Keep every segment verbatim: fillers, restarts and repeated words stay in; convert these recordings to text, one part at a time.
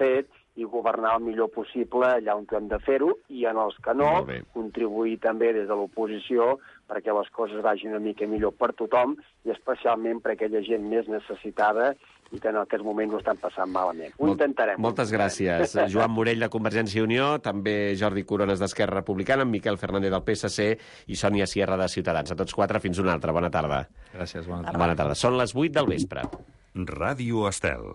fet i governar el millor possible allà on hem de fer-ho, i en els que no, contribuir també des de l'oposició perquè les coses vagin una mica millor per tothom, i especialment per aquella gent més necessitada i que en aquests moments ho estan passant malament. Ho intentarem. Moltes gràcies. Joan Morell, de Convergència i Unió, també Jordi Corones, d'Esquerra Republicana, Miquel Fernández, del P S C, i Sònia Sierra, de Ciutadans. A tots quatre, fins una altra. Bona tarda. Gràcies, bona tarda. Bona tarda. Són les vuit del vespre. Ràdio Estel.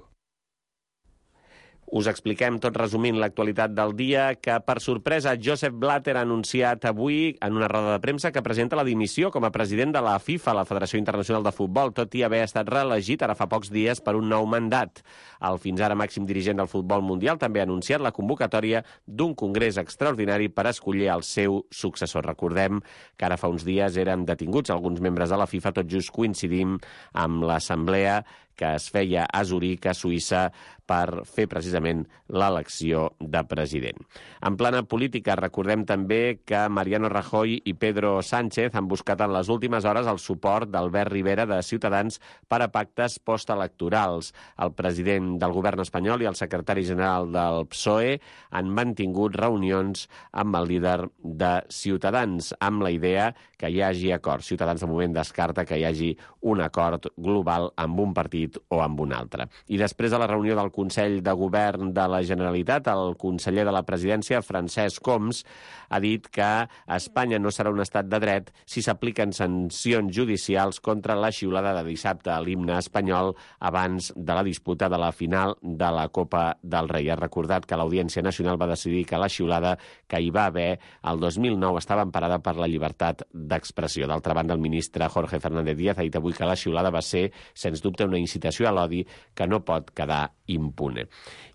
Us expliquem, tot resumint, l'actualitat del dia, que, per sorpresa, Josep Blatter ha anunciat avui, en una roda de premsa, que presenta la dimissió com a president de la FIFA, la Federació Internacional de Futbol, tot i haver estat reelegit ara fa pocs dies per un nou mandat. El fins ara màxim dirigent del futbol mundial també ha anunciat la convocatòria d'un congrés extraordinari per escollir el seu successor. Recordem que ara fa uns dies eren detinguts alguns membres de la FIFA, tot just coincidim amb l'assemblea que es feia a Zuric, a Suïssa, per fer precisament l'elecció de president. En plana política, recordem també que Mariano Rajoy i Pedro Sánchez han buscat en les últimes hores el suport d'Albert Rivera, de Ciutadans, per a pactes postelectorals. El president del govern espanyol i el secretari general del P S O E han mantingut reunions amb el líder de Ciutadans, amb la idea que hi hagi acord. Ciutadans, de moment, descarta que hi hagi un acord global amb un partit o amb un altre. I després de la reunió del Consell de Govern de la Generalitat, el conseller de la Presidència, Francesc Homs, ha dit que Espanya no serà un estat de dret si s'apliquen sancions judicials contra la xiulada de dissabte a l'himne espanyol abans de la disputa de la final de la Copa del Rei. Ha recordat que l'Audiència Nacional va decidir que la xiulada que hi va haver el dos mil nou estava emparada per la llibertat d'expressió. D'altra banda, el ministre Jorge Fernández Díaz ha dit avui que la xiulada va ser, sens dubte, una incitació a l'odi que no pot quedar impune.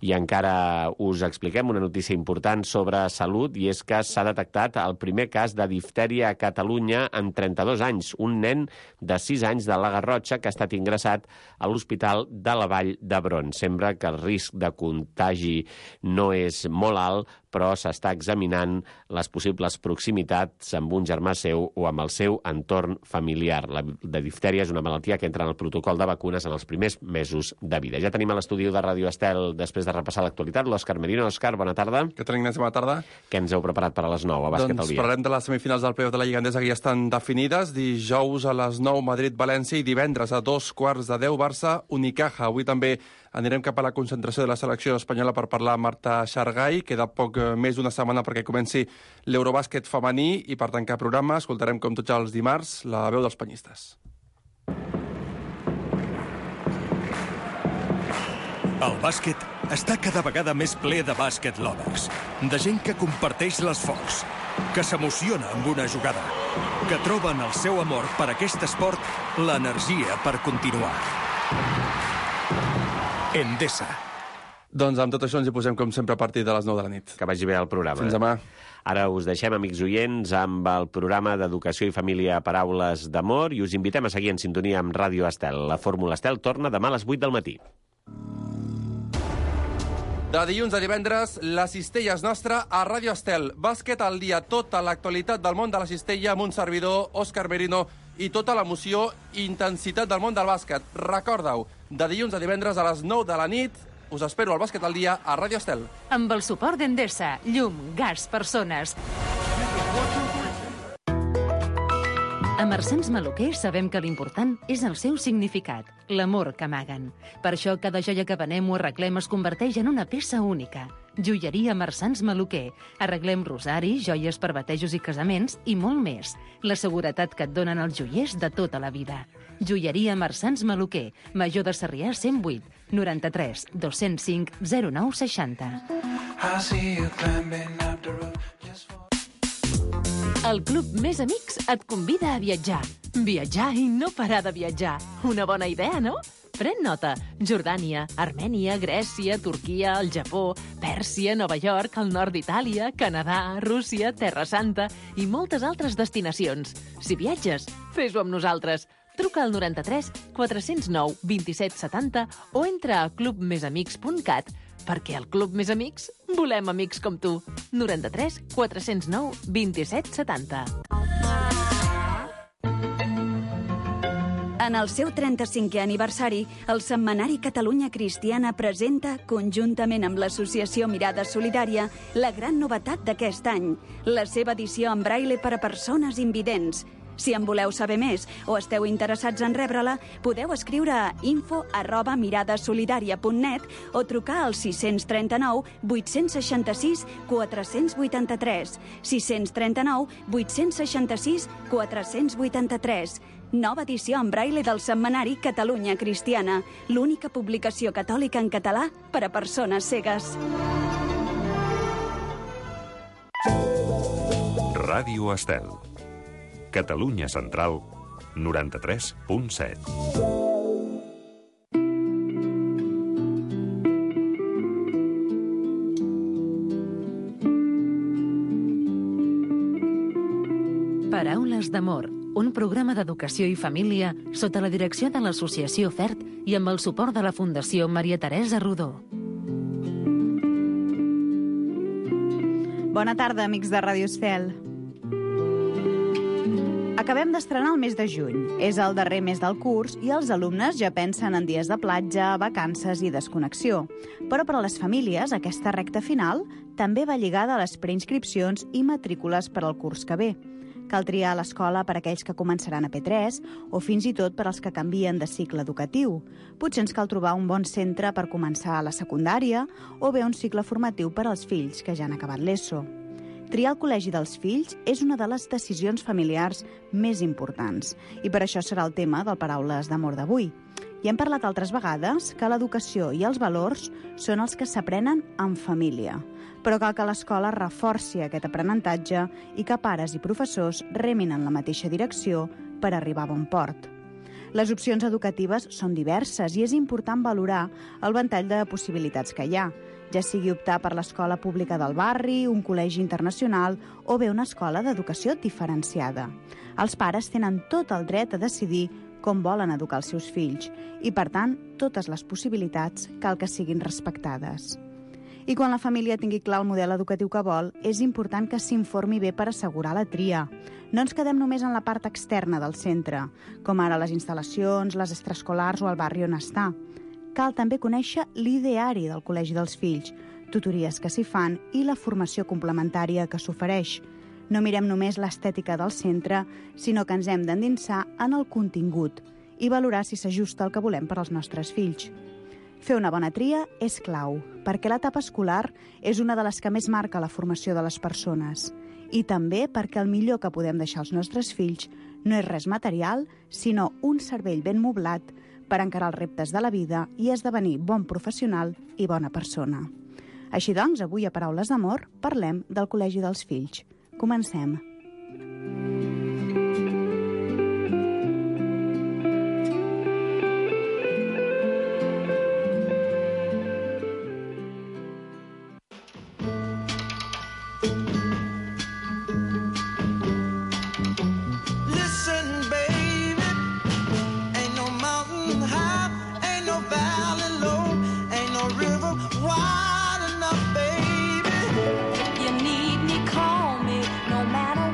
I encara us expliquem una notícia important sobre salut, i és que s'ha detectat el primer cas de diftèria a Catalunya en trenta-dos anys. Un nen de sis anys de la Garrotxa que ha estat ingressat a l'Hospital de la Vall d'Hebron. Sembla que el risc de contagi no és molt alt, però s'està examinant les possibles proximitats amb un germà seu o amb el seu entorn familiar. La de diftèria és una malaltia que entra en el protocol de vacunes en els primers mesos de vida. Ja tenim a l'estudi de Ràdio Estel, després de repassar l'actualitat, l'Òscar Merino. Òscar, bona tarda. Què tal, Ignasi? Bona tarda. Què ens heu preparat per a les nou a Bàsquet al Doncs dia? parlarem de les semifinals del playoff de la Lliga Endesa, que ja estan definides. Dijous a les nou, Madrid-València, i divendres a dos quarts de deu, Barça-Unicaja. Avui també anirem cap a la concentració de la selecció espanyola per parlar amb Marta Xargai. Queda poc més d'una setmana perquè comenci l'Eurobàsquet femení, i per tancar programa escoltarem, com tots els dimarts, la veu dels penyistes. El bàsquet està cada vegada més ple de bàsquet lovers, de gent que comparteix l'esforç, que s'emociona amb una jugada, que troben el seu amor per aquest esport l'energia per continuar. Endesa. Doncs amb tot això ens hi posem, com sempre, a partir de les nou de la nit. Que vagi bé el programa. Fins demà. Ara us deixem, amics oients, amb el programa d'Educació i Família Paraules d'Amor, i us invitem a seguir en sintonia amb Ràdio Estel. La Fórmula Estel torna demà a les vuit del matí. De dilluns a divendres, la cistella és nostra a Ràdio Estel. Bàsquet al dia, tota l'actualitat del món de la cistella amb un servidor, Òscar Merino, i tota l'emoció i intensitat del món del bàsquet. Recorda-ho, de dilluns a divendres a les nou de la nit, us espero al Bàsquet al dia a Ràdio Estel. Amb el suport d'Endesa, llum, gas, persones. A Marsans Maluquer sabem que l'important és el seu significat, l'amor que amaguen. Per això cada joia que venem o arreglem es converteix en una peça única. Joieria Marsans Maluquer. Arreglem rosaris, joies per batejos i casaments i molt més. La seguretat que et donen els joiers de tota la vida. Joieria Marsans Maluquer. Major de Sarrià cent vuit, noranta-tres, dos-cents cinc, zero nou seixanta. El Club Més Amics et convida a viatjar. Viatjar i no parar de viatjar. Una bona idea, no? Pren nota. Jordània, Armènia, Grècia, Turquia, el Japó, Pèrsia, Nova York, el nord d'Itàlia, Canadà, Rússia, Terra Santa i moltes altres destinacions. Si viatges, fes-ho amb nosaltres. Truca al noranta-tres, quatre-cents nou, vint-i-set setanta o entra a club més amics punt cat, perquè al Club Més Amics volem amics com tu. noranta-tres, quatre-cents nou, vint-i-set setanta. En el seu trenta-cinquè aniversari, el Setmanari Catalunya Cristiana presenta, conjuntament amb l'associació Mirada Solidària, la gran novetat d'aquest any, la seva edició en braille per a persones invidents. Si en voleu saber més o esteu interessats en rebre-la, podeu escriure a info arroba miradasolidària punt net o trucar al sis tres nou, vuit sis sis, quatre vuit tres, sis tres nou, vuit sis sis, quatre vuit tres. Nova edició en braille del Setmanari Catalunya Cristiana, l'única publicació catòlica en català per a persones cegues. Ràdio Estel. Catalunya Central, noranta-tres punt set. Paraules d'amor, un programa d'educació i família sota la direcció de l'Associació FERT i amb el suport de la Fundació Maria Teresa Rodó. Bona tarda, amics de Ràdio Estel. Acabem d'estrenar el mes de juny. És el darrer mes del curs i els alumnes ja pensen en dies de platja, vacances i desconnexió. Però per a les famílies, aquesta recta final també va lligada a les preinscripcions i matrícules per al curs que ve. Cal triar l'escola per a aquells que començaran a P tres o fins i tot per als que canvien de cicle educatiu. Potser ens cal trobar un bon centre per començar a la secundària o bé un cicle formatiu per als fills que ja han acabat l'ESO. Triar el col·legi dels fills és una de les decisions familiars més importants i per això serà el tema del Paraules d'Amor d'avui. I hem parlat altres vegades que l'educació i els valors són els que s'aprenen en família, però cal que l'escola reforci aquest aprenentatge i que pares i professors remin en la mateixa direcció per arribar a bon port. Les opcions educatives són diverses i és important valorar el ventall de possibilitats que hi ha, ja sigui optar per l'escola pública del barri, un col·legi internacional o bé una escola d'educació diferenciada. Els pares tenen tot el dret a decidir com volen educar els seus fills i, per tant, totes les possibilitats cal que siguin respectades. I quan la família tingui clar el model educatiu que vol, és important que s'informi bé per assegurar la tria. No ens quedem només en la part externa del centre, com ara les instal·lacions, les extraescolars o el barri on està. Cal també conèixer l'ideari del col·legi dels fills, tutories que s'hi fan i la formació complementària que s'ofereix. No mirem només l'estètica del centre, sinó que ens hem d'endinsar en el contingut i valorar si s'ajusta al que volem per als nostres fills. Fer una bona tria és clau, perquè l'etapa escolar és una de les que més marca la formació de les persones i també perquè el millor que podem deixar als nostres fills no és res material, sinó un cervell ben moblat per encarar els reptes de la vida i esdevenir bon professional i bona persona. Així doncs, avui a Paraules d'Amor parlem del Col·legi dels Fills. Comencem. Wide enough, baby. You need me, call me, no matter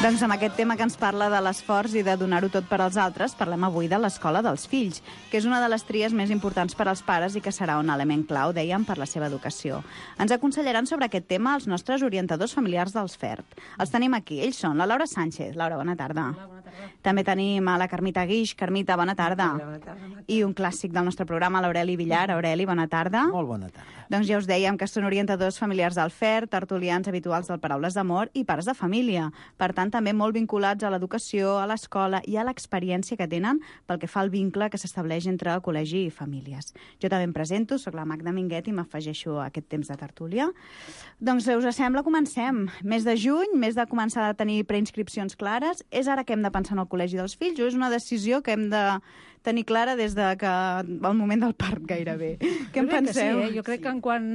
Doncs amb aquest tema que ens parla de l'esforç i de donar-ho tot per als altres, parlem avui de l'escola dels fills, que és una de les tries més importants per als pares i que serà un element clau, dèiem, per la seva educació. Ens aconsellaran sobre aquest tema els nostres orientadors familiars dels F E R T. Els tenim aquí, ells són la Laura Sánchez. Laura, bona tarda. Hola, bona tarda. També tenim a la Carmita Guix. Carmita, bona tarda. Hola, bona tarda. I un clàssic del nostre programa, l'Aureli Villar. Aureli, bona tarda. Molt bona tarda. Doncs ja us dèiem que són orientadors familiars del F E R T, tertulians habituals del Paraules d'Amor i pares de família. Per tant, també molt vinculats a l'educació, a l'escola i a l'experiència que tenen pel que fa al vincle que s'estableix entre col·legi i famílies. Jo també em presento, soc la Magda Minguet i m'afegeixo a aquest temps de tertúlia. Doncs, us sembla, comencem. Mes de juny, mes de començar a tenir preinscripcions clares. És ara que hem de pensar en el col·legi dels fills o és una decisió que hem de tenir clara des de que el moment del part gairebé? Què en penseu? Sí, eh? Jo crec que en quan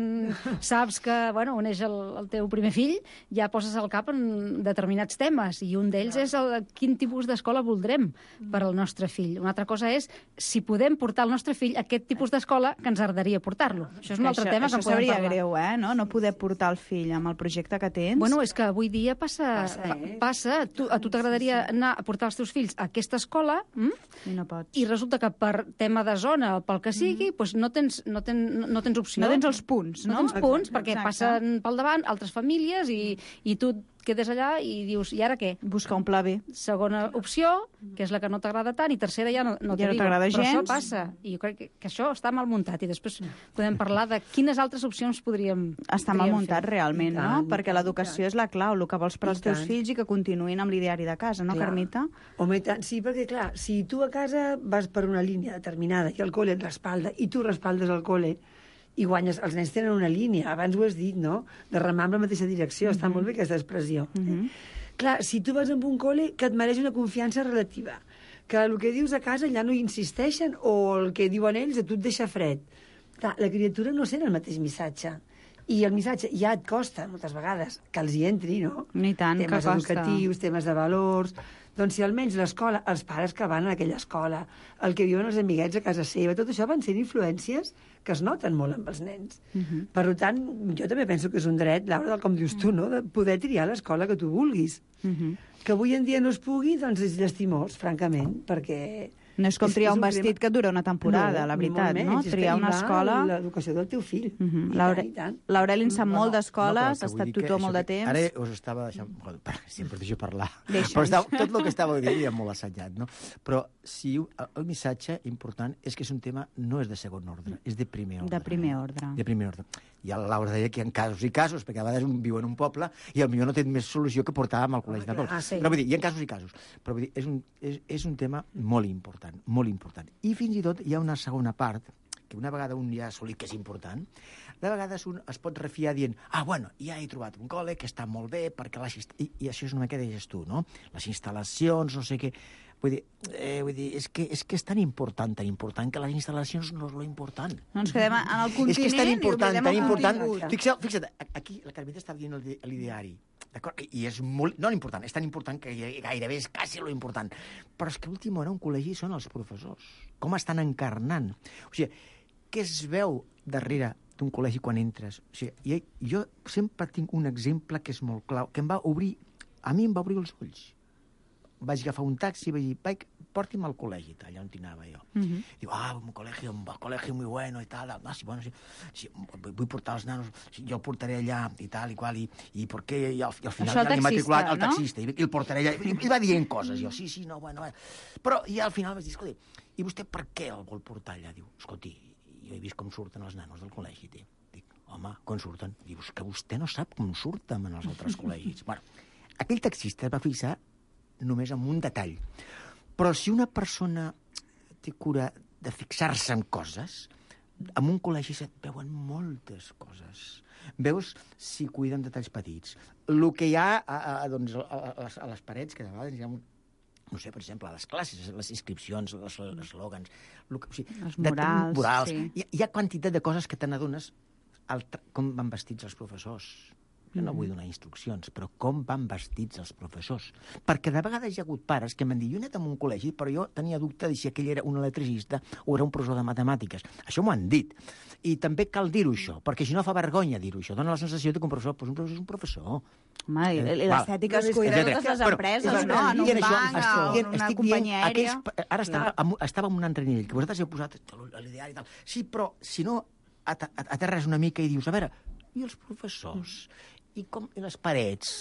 saps que, bueno, on és el, el teu primer fill, ja poses el cap en determinats temes, i un d'ells és el, quin tipus d'escola voldrem per al nostre fill. Una altra cosa és si podem portar el nostre fill a aquest tipus d'escola que ens agradaria portar-lo. Això és un altre això, tema això que en podem parlar. greu, eh? No? no poder portar el fill amb el projecte que tens. Bueno, és que avui dia passa, passa, eh? passa tu, a tu t'agradaria anar a portar els teus fills a aquesta escola hm? I no pots. I resulta que per tema de zona, pel que sigui, mm. doncs no tens, no, ten, no tens opció. No tens els punts, no? No tens punts, exacte, perquè exacte. passen pel davant altres famílies i, i tu quedes allà i dius, i ara què? Buscar un pla B. Segona opció, que és la que no t'agrada tant, i tercera ja no, no ja no t'agrada gens. Però això passa, i jo crec que, que això està mal muntat, i després podem parlar de quines altres opcions podríem Està mal muntat fer. realment, tant, no? Perquè l'educació és la clau, el que vols per als teus fills i que continuïn amb l'ideari de casa, no, clar. Carmita? Home, i tant, sí, perquè, clar, si tu a casa vas per una línia determinada i el col·le et respalda, i tu respaldes el col·le, i guanyes, els nens tenen una línia, abans ho has dit, no?, de remar amb la mateixa direcció, mm-hmm. està molt bé aquesta expressió. Mm-hmm. Clar, si tu vas amb un col·le que et mereix una confiança relativa, que el que dius a casa ja no hi insisteixen, o el que diuen ells a tu et deixa fred, clar, la criatura no sent el mateix missatge, i el missatge ja et costa, moltes vegades, que els hi entri, no? Ni tant, temes que costa. educatius, temes de valors. Doncs si almenys l'escola, els pares que van a aquella escola, el que viuen els amiguets a casa seva, tot això van sent influències que es noten molt amb els nens. Uh-huh. Per tant, jo també penso que és un dret, Laura, com dius tu, no?, de poder triar l'escola que tu vulguis. Uh-huh. Que avui en dia no es pugui, doncs és llastimós, francament, perquè... No és com és, triar és un, un vestit crema... que dura una temporada, no, la veritat, menys, no? Triar una escola... l'educació del teu fill. Uh -huh. L'Aureli en sap no, molt d'escoles, no, ha estat tutor molt de temps. Ara us estava deixant... Sempre deixo parlar. Deixa'ns. Però estava, tot el que estava dient ja molt assajat, no? Però si el, el missatge important és que és un tema, no és de segon ordre, és de primer ordre. De primer ordre. De primer ordre. I la Laura deia que hi ha casos i casos, perquè a vegades un viu en un poble i potser no té més solució que portar amb el col·legi de poble. Ah, sí. Però vull dir, hi ha casos i casos. Però vull dir, és un, és, és un tema molt important, molt important. I fins i tot hi ha una segona part, que una vegada un ja ha assolit que és important, de vegades un es pot refiar dient, ah, bueno, ja he trobat un col·le que està molt bé, perquè les I, i això és una mica deies tu, no? Les instal·lacions, no sé què... Vull dir, eh, vull dir és, que, és que és tan important, tan important, que les instal·lacions no és lo important. No ens quedem en el continent. És que és tan important, tan important. Fixa't, fixa't, aquí la Carmeta està dient l'ideari, d'acord? I és molt... No l'important, és tan important que gairebé és quasi lo important. Però és que a l'última hora un col·legi són els professors. Com estan encarnant. O sigui, què es veu darrere d'un col·legi quan entres? O sigui, jo sempre tinc un exemple que és molt clau, que em va obrir... A mi em va obrir els ulls. Vaig agafar un taxi i vaig dir, vaig, porti'm al col·legi, allà on anava jo. Uh-huh. Diu, ah, un col·legi, un col·legi muy bueno i tal. Ah, sí, bueno, sí, sí, vull portar els nanos, sí, jo el portaré allà i tal i qual, i, i per què? I al, i al final això ja l'he matriculat no? el taxista, i, i el portaré allà, i, i va dient coses, jo, sí, sí, no, bueno, bueno. Però i al final vaig dir, escolti, i vostè per què el vol portar allà? Diu, escolti, jo he vist com surten els nanos del col·legi, té. Dic, home, com surten? Dius, que vostè no sap com surten en els altres col·legis. Bueno, aquell taxista es va fixar només en un detall. Però si una persona té cura de fixar-se en coses, en un col·legi se't veuen moltes coses. Veus si cuiden detalls petits. El que hi ha a, a, doncs, a, a, a les parets, que de vegades hi ha un, no sé, per exemple, a les classes, les inscripcions, els eslògans, o sigui, els murals, de, murals. Sí. Hi, hi ha quantitat de coses que te n'adones com van vestits els professors. Jo no vull donar instruccions, però com van vestits els professors? Perquè de vegades hi ha hagut pares que m'han dit, jo he anat a un col·legi, però jo tenia dubte de si aquell era un electricista o era un professor de matemàtiques. Això m'ho han dit. I també cal dir-ho, això, perquè si no fa vergonya dir-ho, això. Dóna la sensació que un professor, doncs un professor és un professor. Home, i l'estètica es cuida de totes les empreses, no? En un banc, en una companyia aèria... Ara estava en un altre nivell, que vosaltres heu posat l'ideari i tal. Sí, però si no aterres una mica i dius, a veure, i els professors, i com i les parets,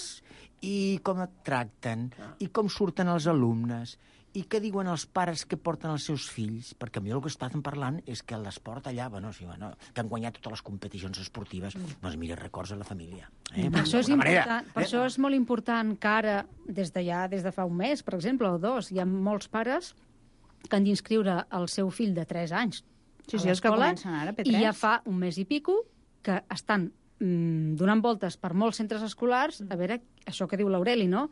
i com et tracten, i com surten els alumnes, i què diuen els pares que porten els seus fills? Perquè a mi el que estàvem parlant és que l'esport allà, bueno, sí, bueno, que han guanyat totes les competicions esportives, doncs mira, records a la família. Eh? Per, això és important, per eh? això és molt important que ara, des de ja, des de fa un mes, per exemple, o dos, hi ha molts pares que han d'inscriure el seu fill de tres anys sí, sí, a l'escola, i ja fa un mes i pico que estan donant voltes per molts centres escolars, a veure, això que diu l'Aureli, no?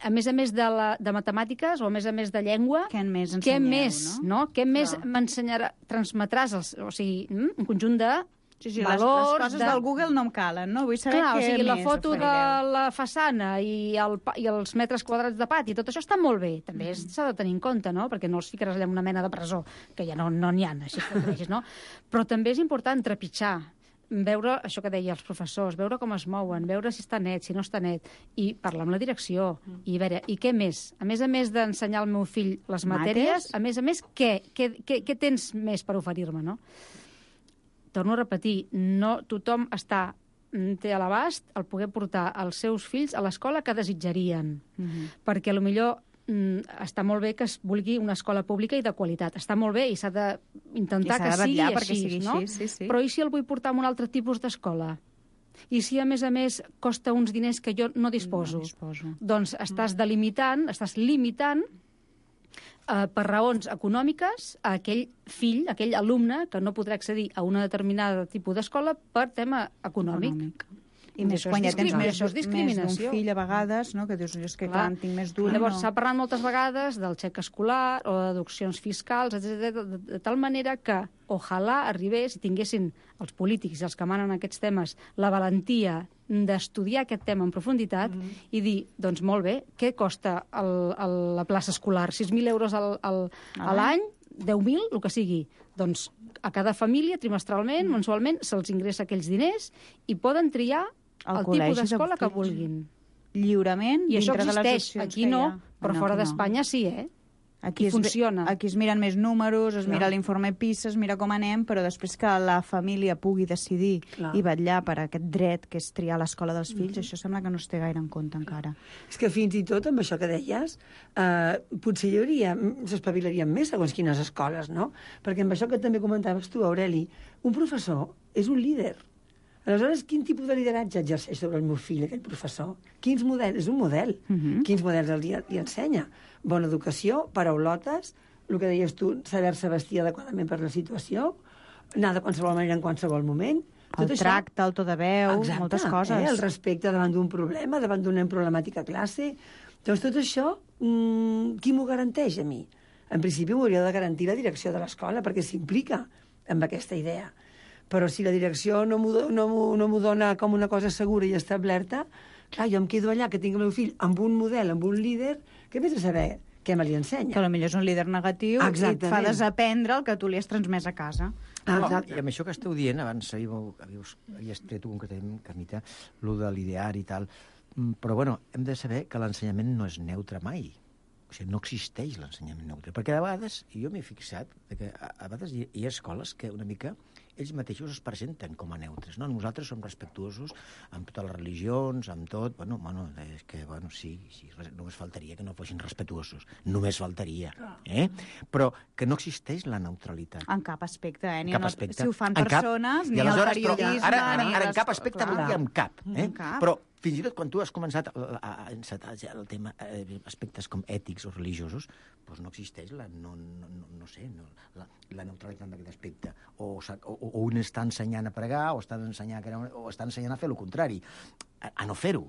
A més a més de, la, de matemàtiques o a més a més de llengua, què més què ensenyeu, més, no? no? Què no. més m'ensenyarà, transmetràs, els, o sigui, un conjunt de sí, sí, valors... Les, les coses de... del Google no em calen, no? Vull saber Clar, què o sigui, la més foto oferireu. de la façana i, el, i els metres quadrats de pati, tot això està molt bé, també mm. s'ha de tenir en compte, no? Perquè no els ficaràs allà en una mena de presó, que ja no n'hi no ha, així que vegis, no? Però també és important trepitjar, veure això que deia els professors, veure com es mouen, veure si està net, si no està net, i parlar amb la direcció, mm. i veure, i què més? A més a més d'ensenyar al meu fill les matèries, a més a més, què? Què, què, què tens més per oferir-me, no? Torno a repetir, no tothom està, té a l'abast el poder portar els seus fills a l'escola que desitjarien, mm-hmm. perquè potser està molt bé que es vulgui una escola pública i de qualitat. Està molt bé i s'ha d'intentar que sigui així, sigui no? Així, sí, sí. Però i si el vull portar a un altre tipus d'escola? I si, a més a més, costa uns diners que jo no disposo? No disposo. Doncs estàs delimitant, estàs limitant eh, per raons econòmiques a aquell fill, a aquell alumne que no podrà accedir a una determinada tipus d'escola per tema econòmic. econòmic. I més quan ja tens més, més d'un fill a vegades, no? Que dius, és que clar, clar en tinc més d'un. Llavors no. s'ha parlat moltes vegades del xec escolar o de deduccions fiscals, etcètera, de, de tal manera que ojalà arribés, si tinguessin els polítics i els que manen aquests temes la valentia d'estudiar aquest tema en profunditat mm. i dir, doncs molt bé, què costa el, el, la plaça escolar? sis mil euros al, al, a l'any? deu mil, el que sigui. Doncs a cada família, trimestralment, mm. mensualment, se'ls ingressa aquells diners i poden triar el, el tipus d'escola que vulguin. Lliurement, i això dintre de les existeix. Aquí no, però no, fora no. d'Espanya sí, eh? Aquí I es, funciona. Aquí es miren més números, es Clar. mira l'informe PISA, es mira com anem, però després que la família pugui decidir Clar. i vetllar per aquest dret que és triar l'escola dels fills, mm-hmm. això sembla que no es té gaire en compte encara. És que fins i tot amb això que deies, eh, potser hi hauria, s'espavilarien més segons quines escoles, no? Perquè amb això que també comentaves tu, Aureli, un professor és un líder. Aleshores, quin tipus de lideratge exerceix sobre el meu fill, aquell professor? Quins models? És un model. Uh-huh. Quins models li, li ensenya? Bona educació, paraulotes, el que deies tu, saber-se vestir adequadament per la situació, anar de qualsevol manera en qualsevol moment. El tot tracte, això... el to de veu, Exacte, moltes coses. Eh? El respecte davant d'un problema, davant d'una problemàtica a classe. Doncs tot això, mmm, qui m'ho garanteix a mi? En principi m'ho hauria de garantir la direcció de l'escola, perquè s'implica amb aquesta idea. Però si la direcció no m'ho no no dona com una cosa segura i establerta, clar, jo em quedo allà, que tinc el meu fill amb un model, amb un líder, que vés a saber què me li ensenya. Que potser és un líder negatiu Exactament. i et fa desaprendre el que tu li has transmès a casa. Exacte. I amb això que esteu dient, abans havíeu, havíeu, havíeu tret concretament, Carmita, el de l'ideari i tal, però bueno, hem de saber que l'ensenyament no és neutre mai. O sigui, no existeix l'ensenyament neutre. Perquè a vegades, i jo m'he fixat, que a, a vegades hi, hi ha escoles que una mica ells mateixos es presenten com a neutres, no? Nosaltres som respectuosos amb totes les religions, amb tot, bueno, bueno és que, bueno, sí, sí, només faltaria que no fossin respectuosos, només faltaria, eh? Però que no existeix la neutralitat. En cap aspecte, eh? Ni cap aspecte. Si ho fan persones, ni el periodisme... Ara, ara, ara en cap aspecte vol dir en cap, eh? Cap. Però fins i tot quan tu has començat a, a, a encetar ja el tema, eh, aspectes com ètics o religiosos, doncs no existeix la, no, no, no, no sé, no, la, la neutralitat d'aquest aspecte. O, o, o un està ensenyant a pregar, o està ensenyant, o està ensenyant a fer el contrari, a, a no fer-ho.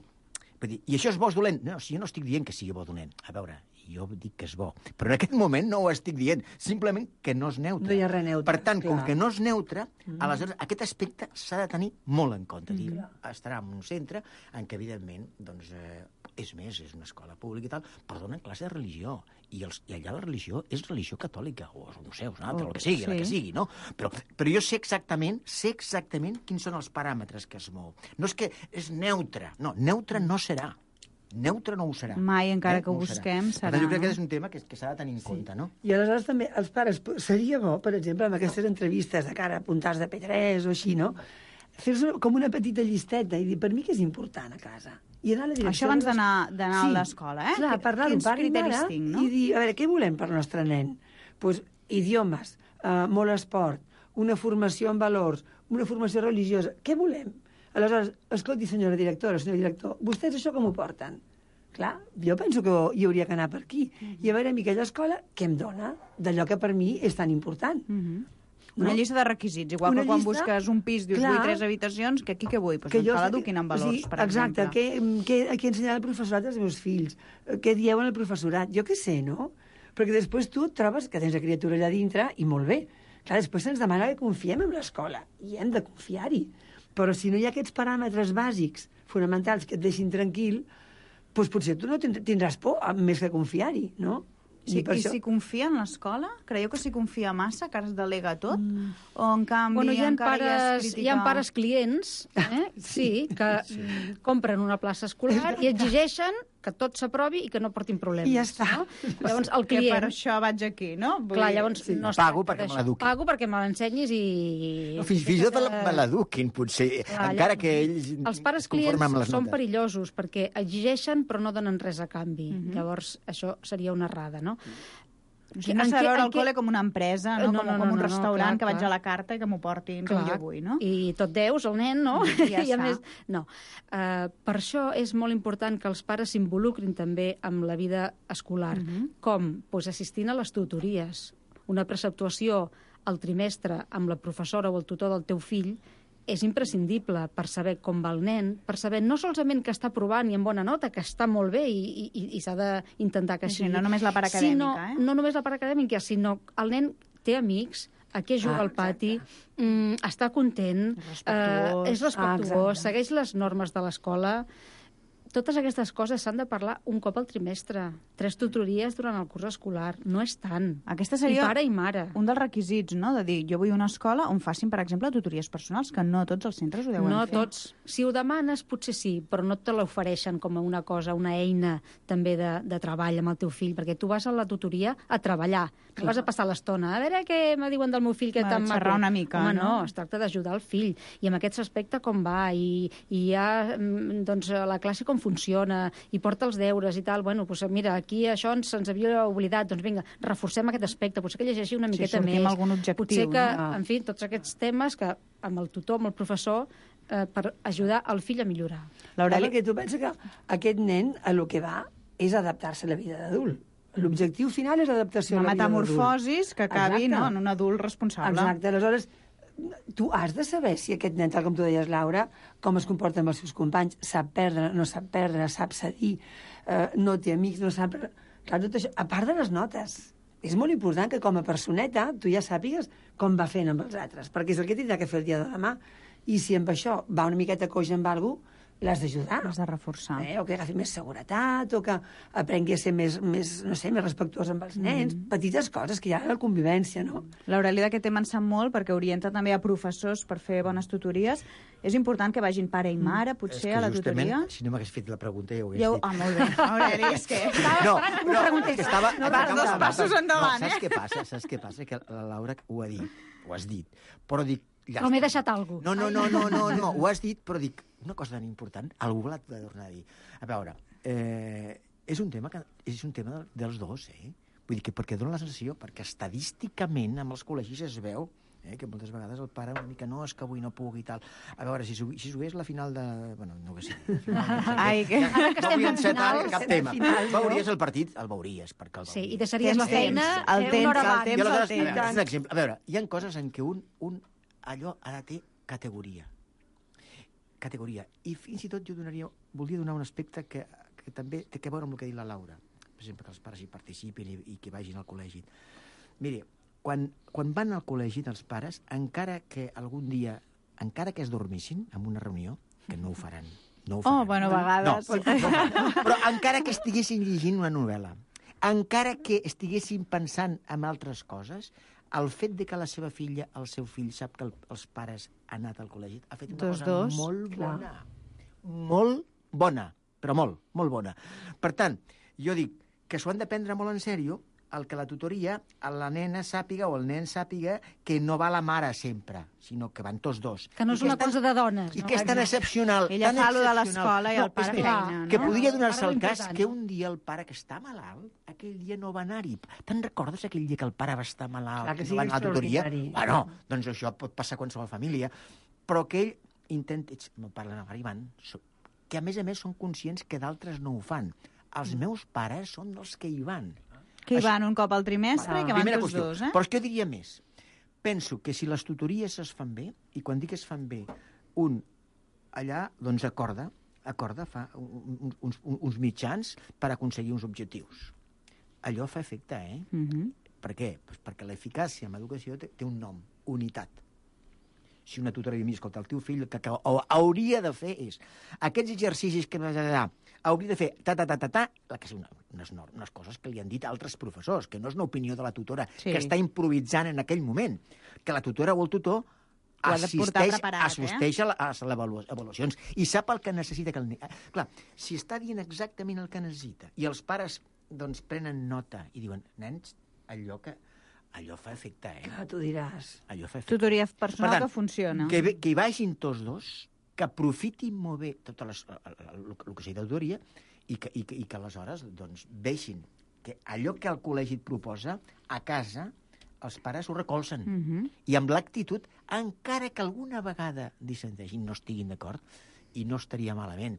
I això és bo o dolent? No, si jo no estic dient que sigui bo o dolent. A veure, i jo dic que és bo. Però en aquest moment no ho estic dient, simplement que no és neutre. No hi ha res neutre. Per tant, clar. com que no és neutre, mm. aleshores aquest aspecte s'ha de tenir molt en compte. Mm. Dir, estarà en un centre en què, evidentment, doncs, eh, és més, és una escola pública i tal, però donen classe de religió. I, els, i allà la religió és religió catòlica, o no sé, una altra, oh, el que sigui, sí. la que sigui, no? Però, però jo sé exactament, sé exactament quins són els paràmetres que es mou. No és que és neutre, no, neutre no serà. Neutre no ho serà. Mai, encara eh? que ho no busquem, serà. serà. Jo crec que és un tema que, que s'ha de tenir en sí. compte, no? I aleshores també els pares, seria bo, per exemple, amb aquestes entrevistes de cara a puntals de P tres o així, no? Fer-se com una petita llisteta i dir, per mi què és important a casa? I anar a la direcció... Això abans d'anar d'anar sí. a l'escola, eh? Clar, parlar-ho Quins pare i criteris mare tinc, no? I dir, a veure, què volem per al nostre nen? Pues, idiomes, uh, molt esport, una formació en valors, una formació religiosa. Què volem? Aleshores, escolti, senyora directora, senyor director, vostès això com ho porten? Clar, jo penso que hi hauria que anar per aquí. Mm-hmm. I a veure, a mi aquella escola, què em dona d'allò que per mi és tan important? Mm-hmm. Una no? llista de requisits, igual una que quan llista... busques un pis, dius, vull tres habitacions, que aquí què vull? Pues que em fa l'eduquin en valors, sí, per exacte, exemple. Exacte, què, què, què ensenyar al professorat als meus fills? Què dieu al professorat? Jo què sé, no? Perquè després tu et trobes que tens la criatura allà dintre i molt bé. Clar, després se'ns demana que confiem en l'escola i hem de confiar-hi. Però si no hi ha aquests paràmetres bàsics, fonamentals, que et deixin tranquil, doncs potser tu no tindràs por més que confiar-hi, no? Sí, I, I això... si confia en l'escola? Creieu que si confia massa, que es delega tot? Mm. O en canvi bueno, hi ha encara pares, hi és crítica... Hi ha pares clients, eh? sí, que sí. compren una plaça escolar i exigeixen que tot s'aprovi i que no portin problemes. I ja està. No? Llavors, el client... Que per això vaig aquí, no? Vull Clar, llavors sí, no pago perquè me l'eduquin. Pago perquè me l'ensenyis i... No, fins, fins i tot me l'eduquin, potser, Clar, encara que ells els pares clients són perillosos perquè exigeixen però no donen res a canvi. Mm-hmm. Llavors, això seria una errada, no? O sigui, no s'ha de veure el col·le com una empresa, no? no, com, no, no com un no, restaurant no, clar, que vaig clar. a la carta i que m'ho portin clar. com jo vull, no? I tot deus al nen, no? I ja I a més, no. Uh, per això és molt important que els pares s'involucrin també amb la vida escolar. Uh-huh. Com? Pues assistint a les tutories. Una preceptuació al trimestre amb la professora o el tutor del teu fill és imprescindible per saber com va el nen, per saber no solament que està provant i amb bona nota, que està molt bé i, i, i s'ha d'intentar que així. Sí, no només la part acadèmica, sinó, eh? No només la part acadèmica, sinó el nen té amics, a què juga ah, al pati, mm, està content, respectuós, eh, és respectuós, ah, segueix les normes de l'escola. Totes aquestes coses s'han de parlar un cop al trimestre. Tres tutories durant el curs escolar. No és tant. Aquesta seria I pare i mare. Un dels requisits, no?, de dir, jo vull una escola on facin, per exemple, tutories personals, que no tots els centres ho deuen no fer. No tots. Si ho demanes, potser sí, però no te l'ofereixen com a una cosa, una eina també de, de treball amb el teu fill, perquè tu vas a la tutoria a treballar. No vas a passar l'estona. A veure què me diuen del meu fill, que tan maco. Xerrar una mica, Home, no? no, es tracta d'ajudar el fill. I en aquest aspecte com va, i, i ja, doncs, la classe com funciona, i porta els deures i tal, bueno, doncs mira, aquí això ens, ens havia oblidat, doncs vinga, reforcem aquest aspecte, potser que llegeixi una miqueta sí, més. Amb algun objectiu, potser que, no? en fi, tots aquests temes que amb el tutor, amb el professor, eh, per ajudar el fill a millorar. L'Aureli, perquè tu penses que aquest nen a lo que va és adaptar-se a la vida d'adult. L'objectiu final és adaptació una a la vida d'adult. Una metamorfosis que acabi no, en un adult responsable. Exacte, aleshores tu has de saber si aquest nen, tal com tu deies, Laura, com es comporta amb els seus companys, sap perdre, no sap perdre, sap cedir, eh, no té amics, no sap... Clar, tot això, a part de les notes, és molt important que com a personeta tu ja sàpigues com va fent amb els altres, perquè és el que tindrà que fer el dia de demà. I si amb això va una miqueta coix amb alguna cosa, l'has d'ajudar. L'has de reforçar. Eh? O que agafi més seguretat, o que aprengui a ser més, més no sé, més respectuós amb els nens. Mm. Petites coses que hi ha a la convivència, no? L'Aureli d'aquest tema en sap molt, perquè orienta també a professors per fer bones tutories. És important que vagin pare i mare, potser, mm. a la tutoria? Si no m'hagués fet la pregunta, ja ho hagués jo... dit. Ah, molt bé. Aureli, és que estava no, esperant que m'ho preguntés. Estava... No, vas dos passos endavant, no, eh? Saps què passa? Saps què passa? Que la Laura ho ha dit, ho has dit, però dic... Ja o m'he deixat alguna cosa. No, no, no, no, no, no, ho has dit, però dic, una cosa tan important, algú l'ha de tornar a dir. A veure, eh, és un tema que és un tema dels dos, eh? Vull dir que perquè dona la sensació, perquè estadísticament amb els col·legis es veu eh, que moltes vegades el pare una mica no, és que avui no puc i tal. A veure, si, si jugués la final de... Bueno, no que sigui. Ai, que... Ja, no vull encetar cap tema. Final, no? Veuries el partit? El veuries, perquè el veuries. Sí, i deixaries la feina el temps, una hora abans. El temps, el temps. A veure, és un exemple. A veure, hi ha coses en què un, un allò ha de ter categoria. Categoria. I fins i tot jo donaria, voldria donar un aspecte que, que també té a veure amb el que ha dit la Laura. per exemple, que els pares hi participin i, i que vagin al col·legi. Mire, quan, quan van al col·legi dels pares, encara que algun dia, encara que es dormissin en una reunió, que no ho faran, no ho faran. Oh, bueno, a vegades. No, no, però encara que estiguessin llegint una novel·la, encara que estiguessin pensant en altres coses, el fet de que la seva filla, el seu fill, sap que el, els pares han anat al col·legi, ha fet una dos, cosa dos. molt Clar. bona. Molt bona, però molt, molt bona. Per tant, jo dic que s'ho han de prendre molt en sèrio, el que la tutoria, la nena sàpiga o el nen sàpiga que no va la mare sempre, sinó que van tots dos. Que no és una cosa de dones. I no? que és tan excepcional. Ella tan fa lo de excepcional. l'escola i el pare és més, feina, no? que podria donar-se Ara el cas l'important. que un dia el pare que està malalt, aquell dia no va anar-hi. Te'n recordes aquell dia que el pare va estar malalt Clar que i sí, no va anar a la tutoria? extraordinari. Bueno, doncs això pot passar a qualsevol família. Però que ell intenta... Ets, no parla la mare i van... Que a més a més són conscients que d'altres no ho fan. Els meus pares són els que hi van. Que hi van un cop al trimestre Ah, i que van primera tots qüestió. dos, eh? Però és que jo diria més. Penso que si les tutories es fan bé, i quan dic es fan bé, un allà, doncs, acorda, acorda, fa un, uns, uns mitjans per aconseguir uns objectius. Allò fa efecte, eh? Uh -huh. Per què? Pues perquè l'eficàcia en l'educació té, té un nom, unitat. Si una tutora diu, mira, escolta, el teu fill el que, que hauria de fer és aquests exercicis que hauria de fer ta, ta, ta, ta, ta, que són unes, unes coses que li han dit altres professors, que no és una opinió de la tutora, Sí. que està improvisant en aquell moment, que la tutora o el tutor Ho ha de portar assisteix, preparat, assisteix a, la, a les avalu- avaluacions i sap el que necessita que el nen... Clar, si està dient exactament el que necessita i els pares doncs prenen nota i diuen, nens, allò que... Allò fa efecte, eh? Clar, tu diràs. Allò fa efecte. Tutoria personal Per tant, que funciona. Que, ve- que hi vagin tots dos, que aprofitin molt bé tot el, el, el que sigui de tutoria i que, i, que, i que aleshores doncs, vegin que allò que el col·legi et proposa, a casa els pares ho recolzen. Uh -huh. I amb l'actitud, encara que alguna vegada dissenteixin, no estiguin d'acord, i no estaria malament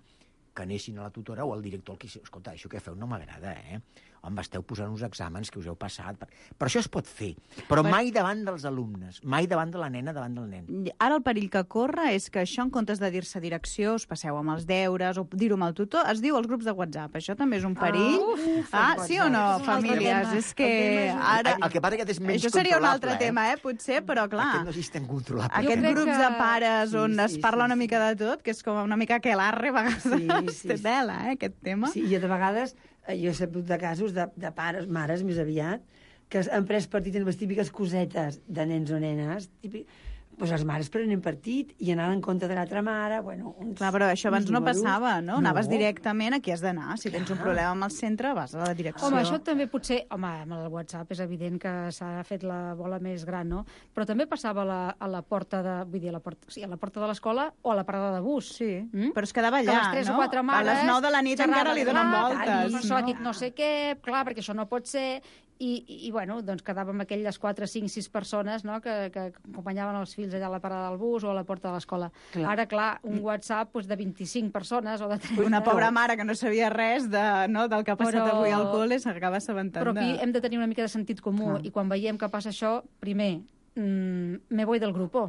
que anessin a la tutora o al director al que... Escolta, això que feu no m'agrada, eh? Home, esteu posant uns exàmens que us heu passat. Per, per això es pot fer, però Per- mai davant dels alumnes, mai davant de la nena, davant del nen. Ara el perill que corre és que això, en comptes de dir-se direcció, us passeu amb els deures o dir-ho amb el tutor, es diu als grups de WhatsApp. Això també és un perill. Ah, uf, ah, el sí o no, WhatsApp. És un altre famílies? tema. És que El tema és un- ara... El, el que passa que és menys Això seria un altre controlable, tema, eh? Potser, però clar... Aquest no és tan controlable. Aquests crec grups que- de pares Sí, on sí, es parla sí, una sí. mica de tot, que és com una mica aquelarre, a vegades Sí, sí, té sí. tela, eh, aquest tema. Sí, i de vegades eh, jo he sabut de casos de, de pares, mares més aviat, que han pres partit en les típiques cosetes de nens o nenes, típic, doncs les mares prenen partit i anaven en compte de l'altra mare, bueno... Uns, Clar, però això abans uns no números. passava, no? Anaves directament a qui has d'anar. Si tens un Clar. problema amb el centre, vas a la direcció. Home, això també potser... Home, amb el WhatsApp és evident que s'ha fet la bola més gran, no? Però també passava a la, a la porta de... Vull dir, a la porta, sí, a la porta de l'escola o a la parada de bus. Sí, Mm? però es quedava Que allà, les tres no? o quatre mares... A les nou de la nit xerrades, encara li donen clar, voltes. I això no? dic no sé què, clar, perquè això no pot ser... I, i, i bueno, doncs quedàvem aquelles quatre, cinc, sis persones, no?, que, que acompanyaven els fills allà a la parada del bus o a la porta de l'escola. Clar. Ara, clar, un WhatsApp doncs, de vint-i-cinc persones o de trenta... Una pobra mare que no sabia res de, no, del que ha passat Però- avui al col·le s'acaba assabentant Però aquí de... hem de tenir una mica de sentit comú, Clar. i quan veiem que passa això, primer, mm, me voy del grupo,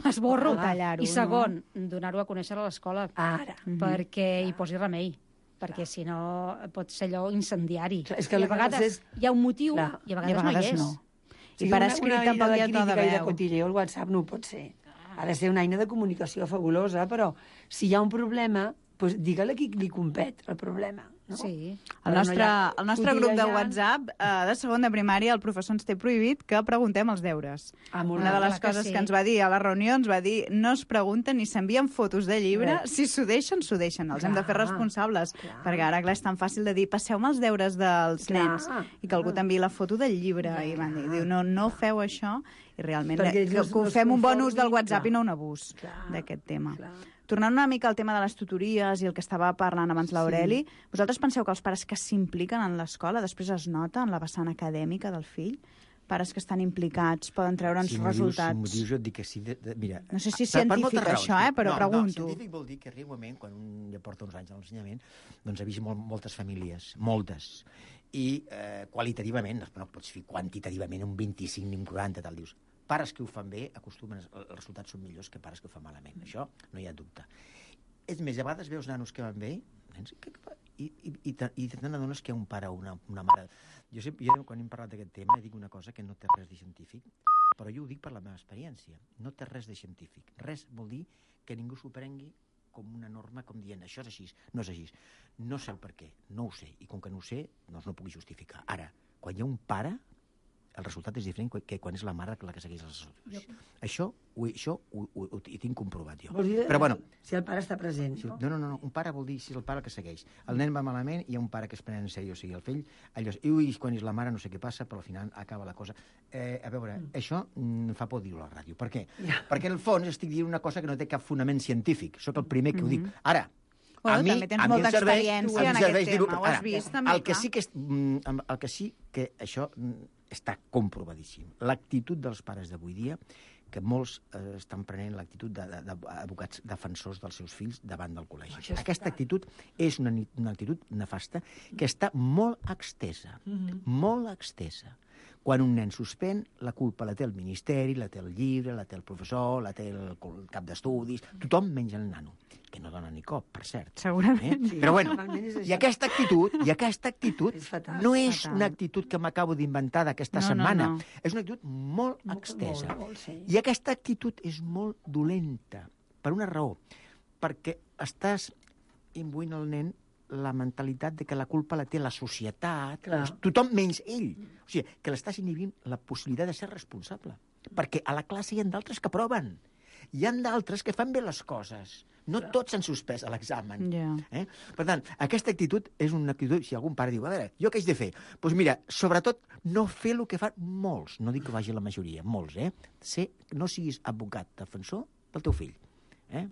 m'esborro, Tallar-ho, i segon, donar-ho a conèixer a l'escola, Ara. perquè hi posi remei, perquè si no pot ser allò incendiari. Clar, és que I el a que vegades passa és- hi ha un motiu Clar. i a I a vegades, vegades no hi és. no. Sí, I per una- escrit una tampoc eina hi ha de to de crítica i de veu. cotilleo, el WhatsApp no ho pot ser. Ha de ser una eina de comunicació fabulosa, però si hi ha un problema, doncs digue-li a qui li compet el problema. No? Sí. El Però nostre, no hi ha el nostre grup de cotillejant. WhatsApp eh, de segon de primària, el professor ens té prohibit que preguntem els deures. Ah, molt Una de bé. les clar que coses sí. que ens va dir a la reunió, ens va dir no es pregunten ni s'envien fotos de llibre, Bé. si s'ho deixen, s'ho deixen. Els hem de fer Clar, responsables, clar. perquè ara, clar, és tan fàcil de dir passeu-me els deures dels Clar, nens i que algú t'enviï la foto del llibre. I van dir, diu, no, no feu això, i realment Perquè que, ells no- que no es fem un bon ús del conformin, WhatsApp clar. i no un abús Clar, d'aquest tema. clar. Tornant una mica al tema de les tutories i el que estava parlant abans l'Aureli, vosaltres penseu que els pares que s'impliquen en l'escola després es nota en la vessant acadèmica del fill? Pares que estan implicats poden treure'ns Si m'ho dius, resultats. si m'ho dius, jo et dic que sí. De, de, mira, No sé si és per- per científic moltes raons, això, eh, però no, pregunto. No, científic vol dir que arriba un moment, quan un ja porta uns anys a l'ensenyament, doncs ha vist molt, moltes famílies, moltes. I eh, qualitativament, no pots fer quantitativament un vint-i-cinc ni un quaranta, tal, dius. Pares que ho fan bé, acostumen, els resultats són millors que pares que ho fan malament. Això no hi ha dubte. És més, a vegades veus nanos que van bé, nens, que, que, i i, i, i te, i te n'adones que hi ha un pare o una, una mare... Jo, sempre, jo quan hem parlat d'aquest tema dic una cosa que no té res de científic, però jo ho dic per la meva experiència. No té res de científic. Res vol dir que ningú s'ho prengui com una norma, com dient, això és així, no és així. No sé el per què, no ho sé, i com que no ho sé, doncs no ho puc justificar. Ara, quan hi ha un pare, el resultat és diferent que quan és la mare la que segueix els assessors. Això, ho, això ho, ho, ho, ho tinc comprovat jo. Vols dir, però, bueno, si el pare està present, si, no? No, no, no, un pare vol dir si és el pare que segueix. El nen va malament i hi ha un pare que es pren en sèrio, o sigui, el fill, allò, i ui, quan és la mare no sé què passa, però al final acaba la cosa. Eh, a veure, mm. això em fa por dir-ho a la ràdio. Per què? Yeah. Perquè en el fons estic dient una cosa que no té cap fonament científic. Soc el primer que mm -hmm. ho dic. Ara, Bueno, a mi, també tens a mi molta serveix, experiència en aquest tema, ho has vist també, el que clar. sí que, és, el que sí que això està comprovadíssim. L'actitud dels pares d'avui dia, que molts eh, estan prenent l'actitud d'advocats de, de, defensors dels seus fills davant del col·legi. Aquesta actitud és una, una actitud nefasta que està molt extesa, mm-hmm. molt extesa. Quan un nen suspèn, la culpa la té el ministeri, la té el llibre, la té el professor, la té el cap d'estudis, tothom menys el nano, que no dona ni cop, per cert. Segurament. Eh? Sí, però bueno, és i aquesta actitud, i aquesta actitud és fatal, no és fatal. una actitud que m'acabo d'inventar d'aquesta No, no, setmana. no. És una actitud molt, molt extesa. Molt, molt, sí. I aquesta actitud és molt dolenta, per una raó, perquè estàs imbuint el nen la mentalitat de que la culpa la té la societat, Clar. tothom menys ell. O sigui, que l'estàs inhibint la possibilitat de ser responsable. Perquè a la classe hi ha d'altres que proven. Hi ha d'altres que fan bé les coses. No Clar. Tots s'han suspès a l'examen. Yeah. Eh? Per tant, aquesta actitud és una actitud... Si algun pare diu, a veure, jo què haig de fer? Doncs pues mira, sobretot, no fer el que fan molts. No dic que vagi la majoria, molts, eh? Ser, no siguis advocat, defensor del teu fill. Eh?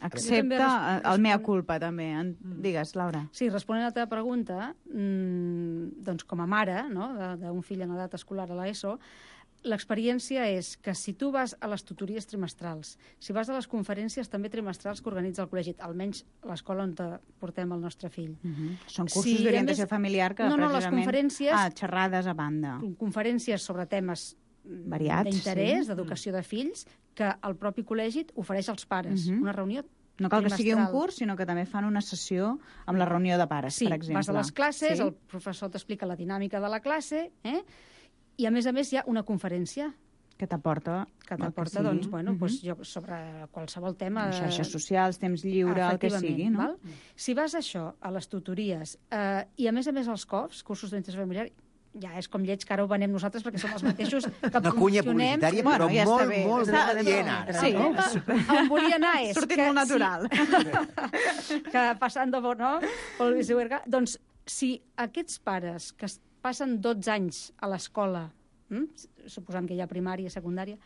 Accepta el mea culpa, també. Digues, Laura. Sí, responent a la teva pregunta, mmm, doncs com a mare, no?, d'un fill en edat escolar a l'ESO, l'experiència és que si tu vas a les tutories trimestrals, si vas a les conferències també trimestrals que organitza el col·legi, almenys l'escola on portem el nostre fill. Uh -huh. Són cursos si, d'orientació familiar que no, no, precisament... les conferències... Ah, xerrades a banda. Conferències sobre temes variats, d'interès, sí. d'educació de fills, que el propi col·legi ofereix als pares. Uh -huh. Una reunió no cal que sigui un curs, sinó que també fan una sessió amb la reunió de pares, sí, per exemple. Sí, vas a les classes, sí? el professor t'explica la dinàmica de la classe, eh? I a més a més hi ha una conferència que t'aporta que t'aporta, sí. doncs, bueno, uh -huh. doncs jo, sobre qualsevol tema... Xarxes socials, temps lliure, el que sigui, no? Val? Si vas a això, a les tutories, eh, i a més a més als C O Fs, cursos d'orientació familiar, ja és com lleig que ara ho venem nosaltres perquè som els mateixos que una cunya publicitària, però bueno, ja molt, bé. molt adient. Sí. No? On volia anar és... Sortit molt natural. Sí, que passant de bo, no? Doncs si aquests pares que passen dotze anys a l'escola, hm? suposant que hi ha primària, secundària,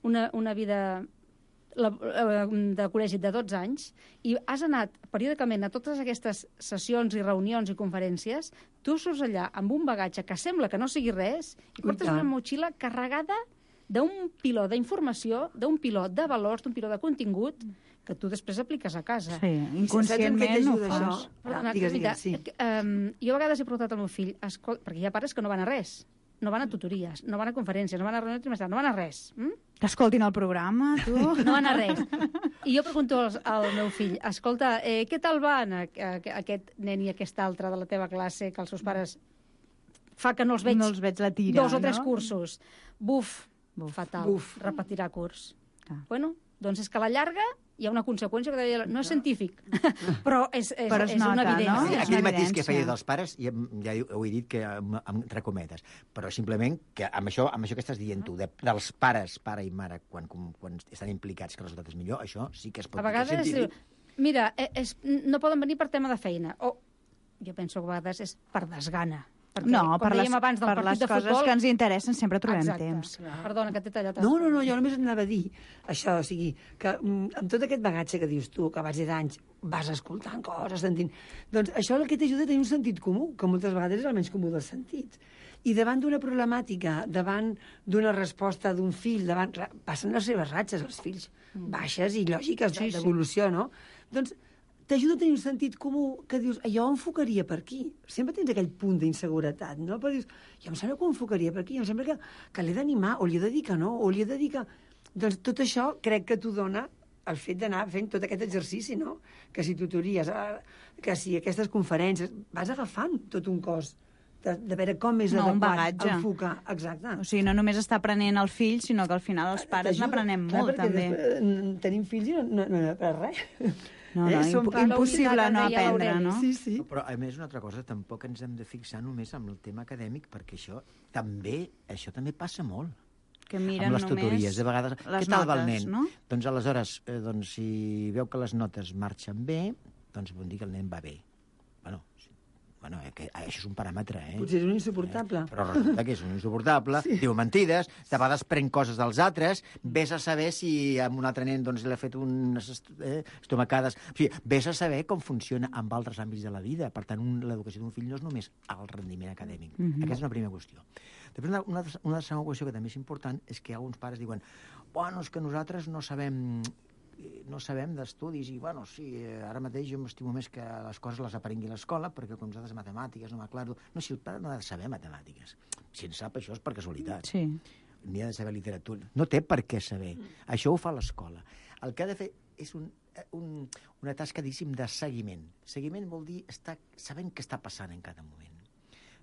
una, una vida de col·legi de dotze anys, i has anat periòdicament a totes aquestes sessions i reunions i conferències, tu surts allà amb un bagatge que sembla que no sigui res i portes una motxilla carregada d'un piló d'informació, d'un piló de valors, d'un piló de contingut que tu després apliques a casa. Sí, inconscientment ho fas. Perdona, digues, digues, sí. um, jo a vegades he preguntat al meu fill, perquè hi ha pares que no van a res, no van a tutories, no van a conferències, no van a reunions trimestrals, no van a res. Mm? Que escoltin el programa, tu. No van a res. I jo pregunto al, al meu fill, escolta, eh, què tal van a, a, a aquest nen i aquest altre de la teva classe que els seus pares fa que no els veig, no els veig la tira, dos o tres no? cursos? Buf, Buf. fatal, Buf. repetirà curs. Ah. Bueno, doncs és que a la llarga hi ha una conseqüència que deia, no és científic, però és, és, però es és nota, una evidència. No? Aquell matís que feia dels pares, ja, ja ho he dit que entre cometes, però simplement que amb això, amb això que estàs dient tu, de, dels pares, pare i mare, quan, quan estan implicats que el resultat és millor, això sí que es pot dir. A vegades, dir mira, és, no poden venir per tema de feina, o jo penso que a vegades és per desgana. Perquè, no, per les, abans del per les de coses futbol, que ens interessen sempre trobem exacte. temps. Clar. Perdona, que t'he tallat. No, no, no, jo només anava a dir això, o sigui, que amb tot aquest bagatge que dius tu, que a base d'anys vas escoltant coses, sentint... Doncs això el que t'ajuda a tenir un sentit comú, que moltes vegades és el menys comú dels sentits. I davant d'una problemàtica, davant d'una resposta d'un fill, davant... Clar, passen les seves ratxes, els fills, baixes i lògiques sí, d'evolució, sí. no? Doncs t'ajuda a tenir un sentit comú que dius, jo ho enfocaria per aquí. Sempre tens aquell punt d'inseguretat, no? Però dius, jo em sembla que ho enfocaria per aquí, em sembla que, que l'he d'animar, o li he de dir que no, o li he de dir que... Doncs tot això crec que t'ho dona el fet d'anar fent tot aquest exercici, no? Que si tutories, que si aquestes conferències, vas agafant tot un cos de, de veure com és no, adequat enfocar. Exacte. O sigui, no només està aprenent el fill, sinó que al final els pares n'aprenem molt, també. Tenim fills i no, no, no n'aprenem res. No, no, eh? imp impossible no aprendre, no? Sí, sí. Però, a més, una altra cosa, tampoc ens hem de fixar només en el tema acadèmic, perquè això també, això també passa molt. Que miren amb les tutories, de vegades, les què tal va el notes, nen? No? Doncs aleshores, eh, doncs, si veu que les notes marxen bé, doncs vol dir que el nen va bé. Bueno, bueno eh, que això és un paràmetre, eh? Potser és un insuportable. Eh? Però resulta que és un insuportable, sí. Diu mentides, de vegades pren coses dels altres, vés a saber si amb un altre nen doncs, l'ha fet unes eh, estomacades... O sigui, vés a saber com funciona amb altres àmbits de la vida. Per tant, l'educació d'un fill no és només el rendiment acadèmic. Mm-hmm. Aquesta és una primera qüestió. Després, una, una, una segona qüestió que també és important és que alguns pares diuen bueno, és que nosaltres no sabem no sabem d'estudis i, bueno, sí, ara mateix jo m'estimo més que les coses les aprengui a l'escola perquè com nosaltres matemàtiques no m'aclaro. No, si el pare no ha de saber matemàtiques. Si en sap, això és per casualitat. Sí. Ni ha de saber literatura. No té per què saber. Això ho fa l'escola. El que ha de fer és un, un, una tasca, diguéssim, de seguiment. Seguiment vol dir estar sabent què està passant en cada moment.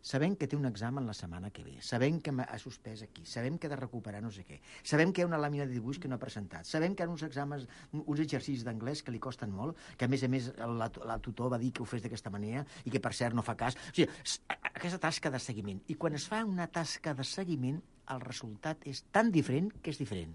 Sabem que té un examen la setmana que ve, sabem que ha suspès aquí, sabem que ha de recuperar no sé què, sabem que hi ha una làmina de dibuix que no ha presentat, sabem que hi ha uns exàmens, uns exercicis d'anglès que li costen molt, que a més a més la, la tutor va dir que ho fes d'aquesta manera i que per cert no fa cas. O sigui, aquesta tasca de seguiment. I quan es fa una tasca de seguiment, el resultat és tan diferent que és diferent.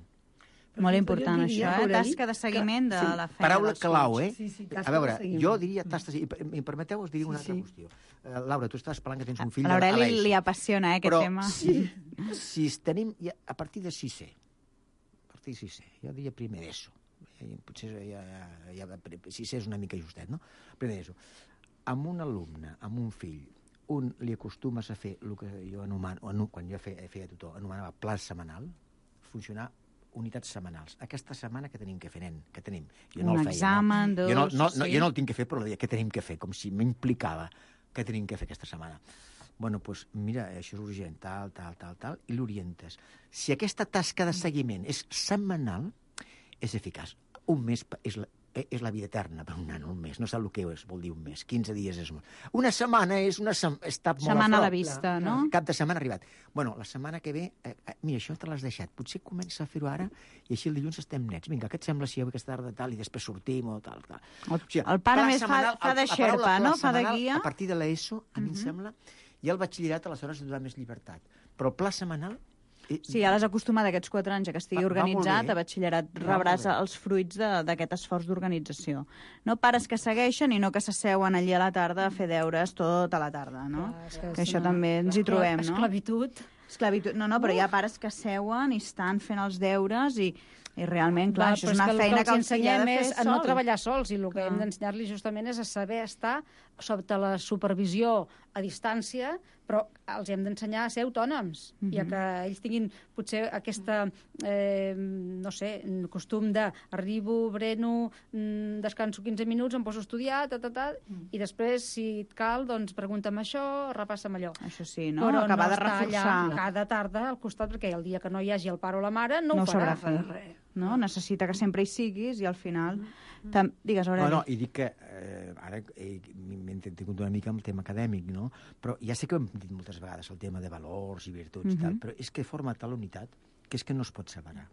Molt important, això, eh? Tasca de seguiment de la feina. Paraula clau, eh? Sí, sí, a veure, jo diria tasca de seguiment. I em permeteu, us diria una altra qüestió. Uh, Laura, tu estàs parlant que tens un fill... A l'Aureli li apassiona, eh, aquest però, tema. Si, si tenim... Ja, a partir de sisè, a partir de sisè, jo diria primer d'ESO. Potser ja, ja, ja, sisè és una mica justet, no? Primer d'ESO. Amb un alumne, amb un fill, un li acostumes a fer el que jo anomano, quan jo feia, feia tutor, anomenava pla setmanal, funcionar unitats setmanals. Aquesta setmana que tenim que fer, nen? Que tenim? Jo no un el feia, examen, no? dos... Jo no, no, no, sí. jo no el tinc que fer, però què tenim que fer? Com si m'implicava què tenim que fer aquesta setmana. Bueno, doncs mira, això és urgent, tal, tal, tal, tal, i l'orientes. Si aquesta tasca de seguiment és setmanal, és eficaç. Un mes és la, és la vida eterna per un nano, un mes. No sap el que és, vol dir un mes. quinze dies és molt. Una setmana és una sem està molt setmana a, a la vista, no? Cap de setmana arribat. Bueno, la setmana que ve, eh, eh, mira, això te l'has deixat. Potser comença a fer-ho ara i així el dilluns estem nets. Vinga, què et sembla si avui aquesta tarda tal i després sortim o tal, tal. El, o sigui, el pare més fa, fa de xerpa, no? Fa de guia. A partir de l'ESO, a mi uh -huh. em sembla, i el batxillerat aleshores et dona més llibertat. Però el pla setmanal... Sí, ja l'has acostumat aquests quatre anys a que estigui va, organitzat, va a batxillerat rebràs els fruits d'aquest esforç d'organització. No pares que segueixen i no que s'asseuen allí a la tarda a fer deures tota la tarda, no? Clar, que, que això no. també ens hi trobem, no? Esclavitud. Esclavitud. No, no, però hi ha pares que seuen i estan fent els deures i, i realment, clar, va, això és una que feina que, que els ensenyem de és fer a sol. no treballar sols i el que clar. hem d'ensenyar-li justament és a saber estar sota la supervisió a distància, però els hem d'ensenyar a ser autònoms, mm -hmm. ja que ells tinguin potser aquesta, eh, no sé, costum de arribo, breno, descanso quinze minuts, em poso a estudiar, ta, ta, ta, mm. i després, si et cal, doncs pregunta'm això, repassa'm allò. Això sí, no? Però acabar no de reforçar. Allà cada tarda al costat, perquè el dia que no hi hagi el pare o la mare no, no ho farà. Fer res. No? Necessita que sempre hi siguis i al final... Mm. Digues, Aureli. No, no, i dic que eh, ara eh, m'he entretingut una mica amb el tema acadèmic, no? Però ja sé que ho hem dit moltes vegades, el tema de valors i virtuts i mm -hmm. tal, però és que forma tal unitat que és que no es pot separar.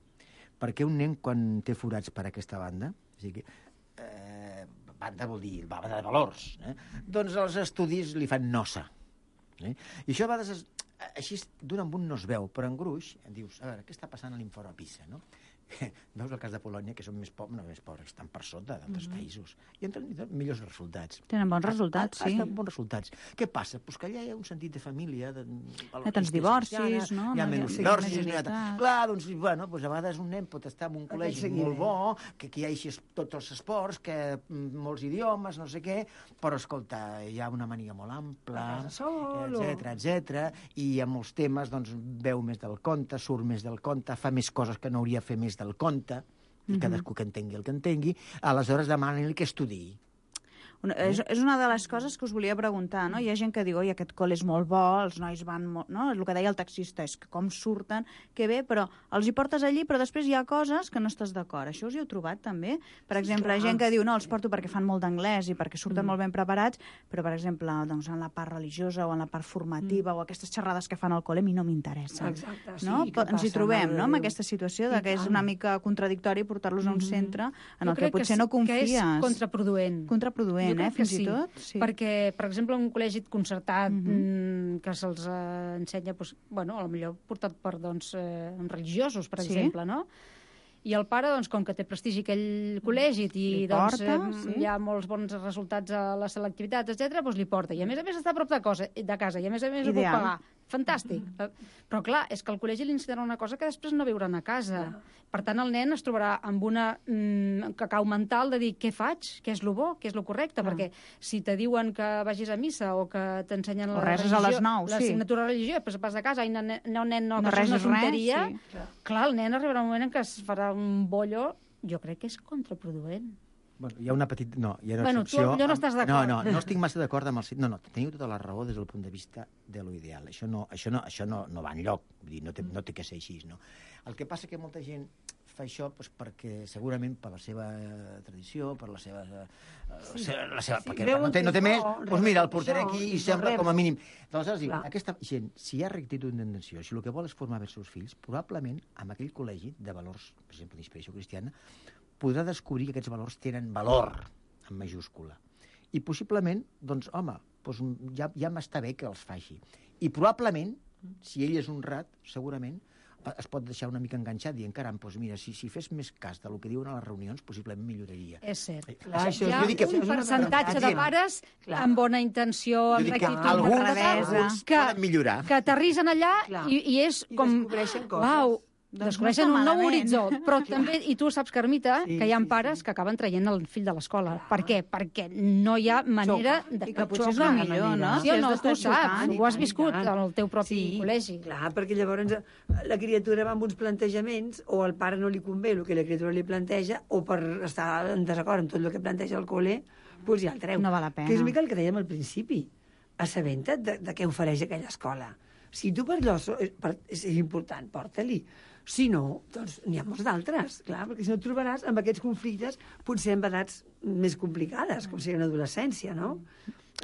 Perquè un nen, quan té forats per aquesta banda, o sigui, eh, banda vol dir banda de valors, eh? Doncs els estudis li fan nosa. Eh? I això a vegades, es, així d'un en un no es veu, però en gruix dius, a veure, què està passant a l'infort a Pisa, no? Veus el cas de Polònia, que són més pobres, no més pobres, estan per sota d'altres mm -hmm. països. I han tingut millors resultats. Tenen bons resultats, ha, ha, sí. Ha bons resultats. Què passa? Pues que allà hi ha un sentit de família... De, hi ha tants divorcis, no? Hi ha menys divorcis. Clar, doncs, bueno, pues a vegades un nen pot estar en un col·legi molt bo, que, que hi hagi tots els esports, que molts idiomes, no sé què, però, escolta, hi ha una mania molt ampla, etcètera, etcètera, i en molts temes, doncs, veu més del conte, surt més del conte, fa més coses que no hauria de fer més del conte, i cadascú que entengui el que entengui, aleshores demanen-li que estudiï. Una, és, és una de les coses que us volia preguntar, no? Hi ha gent que diu, oi, aquest col·le és molt bo, els nois van molt... No? El que deia el taxista és que com surten, que bé, però els hi portes allí, però després hi ha coses que no estàs d'acord. Això us hi heu trobat, també? Per exemple, clar. gent que diu, no, els porto perquè fan molt d'anglès i perquè surten mm. molt ben preparats, però, per exemple, doncs, en la part religiosa o en la part formativa mm. o aquestes xerrades que fan al col·le a mi no m'interessen. Exacte, sí. No? Què Ens hi passa, trobem, mare no?, de amb Déu. aquesta situació de I que és tant. una mica contradictori portar-los a un centre en el que potser no que confies. és contraproduent. Contraproduent, eh, fins sí, i tot. Sí. Perquè, per exemple, un col·legi concertat Mhm. mm, que se'ls eh, ensenya, doncs, bueno, potser portat per doncs, eh, religiosos, per Sí. exemple, no? I el pare, doncs, com que té prestigi aquell col·legi i Li doncs, porta, eh, sí. hi ha molts bons resultats a la selectivitat, etcètera, doncs li porta. I a més a més està a prop de, cosa, de casa, i a més a més ho pot Ideal. pagar. Fantàstic. Però clar, és que el col·legi li ensenyarà una cosa que després no viuran a casa. Per tant, el nen es trobarà amb una mm, cacau mental de dir què faig, què és lo bo, què és lo correcte, perquè si te diuen que vagis a missa o que t'ensenyen O la reses a les nou, sí. l'assignatura de religió, després vas a casa i no, no, nen, no, No que això és una resis res, tonteria, sí. clar, el nen arribarà un moment en què es farà un bollo, jo crec que és contraproduent. Bueno, hi ha una petita... No, hi ha una Bueno, tu excepció... allò no estàs d'acord. No, no, no estic massa d'acord amb el... No, no, teniu tota la raó des del punt de vista de lo ideal. Això no, això no, això no, no va enlloc. Vull dir, no té, no té que ser així, no? El que passa que molta gent fa això doncs, perquè segurament per la seva eh, tradició, per la seva... Eh, sí. la seva Sí, perquè veuen no té, no té que més, no, doncs mira, el reben portaré això, aquí i i sembla reben. com a mínim. Aleshores, diu, Clar. aquesta gent, si hi ha rectitud d'intenció, si el que vol és formar bé els seus fills, probablement amb aquell col·legi de valors, per exemple, d'inspiració cristiana, podrà descobrir que aquests valors tenen valor, en majúscula. I possiblement, doncs, home, doncs ja, ja m'està bé que els faci. I probablement, si ell és honrat, segurament, es pot deixar una mica enganxat dient, caram, doncs mira, si, si fes més cas del que diuen a les reunions, possiblement milloraria. És cert. Clar, això, Hi ha jo dic que- un percentatge de pares Clar. amb bona intenció, Jo amb dic que rectitud, alguns, amb bravesa. alguns poden millorar. que aterrissen allà Clar. i, i és I com... descobreixen coses. Uau, Doncs descobreixen no un està nou malament. horitzó. Però també, i tu saps, Carmita, Sí, que hi ha sí, pares sí. que acaben traient el fill de l'escola. Per què? Perquè no hi ha manera Xoca. de... I que potser és xoca. el millor, no? Sí o Si has no, d'estar tu saps, xocant, i ho has tant, i viscut tant. en el teu propi Sí, col·legi. Clar, perquè llavors eh, la criatura va amb uns plantejaments o al pare no li convé el que la criatura li planteja o per estar en desacord amb tot el que planteja el col·le, doncs ja el treu. No val la pena. Que és una mica el que dèiem al principi. Assabenta't de, de què ofereix aquella escola. Si tu per allò so- per, és important, porta-li. Si no, doncs n'hi ha molts d'altres, clar, perquè si no et trobaràs amb aquests conflictes potser en edats més complicades, com sigui en adolescència, no?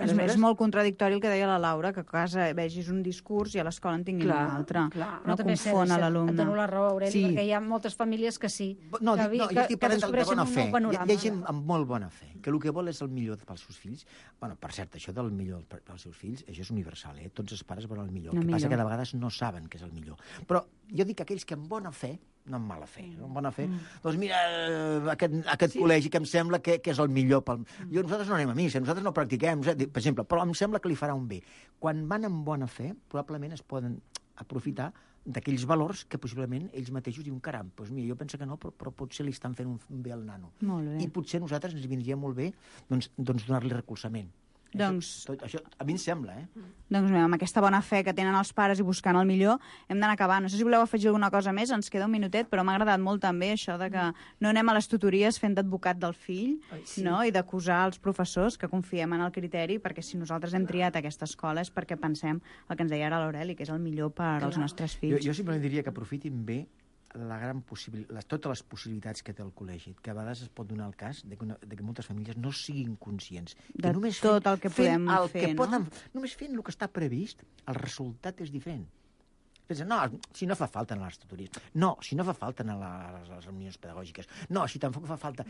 És, és molt contradictori el que deia la Laura, que a casa vegis un discurs i a l'escola en tinguin Clar, un altre. clar. No també és cert, confon és a cert. l'alumne. Et dono la raó, Aureli, Sí. perquè hi ha moltes famílies que sí. No, que, dic, no, que, jo estic que parlant de, de descobreixen bona un fe. nou Hi, panorama. hi ha gent amb molt bona fe, que el que vol és el millor pels seus fills. Bueno, per cert, això del millor per- pels seus fills, això és universal, eh? Tots els pares volen el millor. El El que passa millor. que de vegades no saben què és el millor. Però jo dic que aquells que amb bona fe, no amb mala fe, no amb bona fe, mm. doncs mira, eh, aquest, aquest sí. col·legi que em sembla que, que és el millor pel... Mm. Jo, nosaltres no anem a missa, nosaltres no practiquem, per exemple, però em sembla que li farà un bé. Quan van amb bona fe, probablement es poden aprofitar d'aquells valors que possiblement ells mateixos diuen, caram, doncs mira, jo penso que no, però, però potser li estan fent un, un bé al nano. Molt bé. I potser a nosaltres ens vindria molt bé doncs, doncs donar-li recolzament. Doncs- Això, tot, això a mi em sembla, eh? Doncs mira, amb aquesta bona fe que tenen els pares i buscant el millor, hem d'anar acabant. No sé si voleu afegir alguna cosa més, ens queda un minutet, però m'ha agradat molt també això de que no anem a les tutories fent d'advocat del fill, Ai, sí. no? I d'acusar els professors, que confiem en el criteri, perquè si nosaltres hem triat aquesta escola és perquè pensem el que ens deia ara l'Aureli, que és el millor per als nostres Jo, fills. jo simplement diria que aprofitin bé la gran possibil... les, totes les possibilitats que té el col·legi, que a vegades es pot donar el cas de que, una, de que moltes famílies no siguin conscients. De que només tot fent, el que fent podem el fer, que no? poden, només fent el que està previst, el resultat és diferent. Pensa, no, si no fa falta en les tutories, no, si no fa falta en les, les reunions pedagògiques, no, si tampoc fa falta...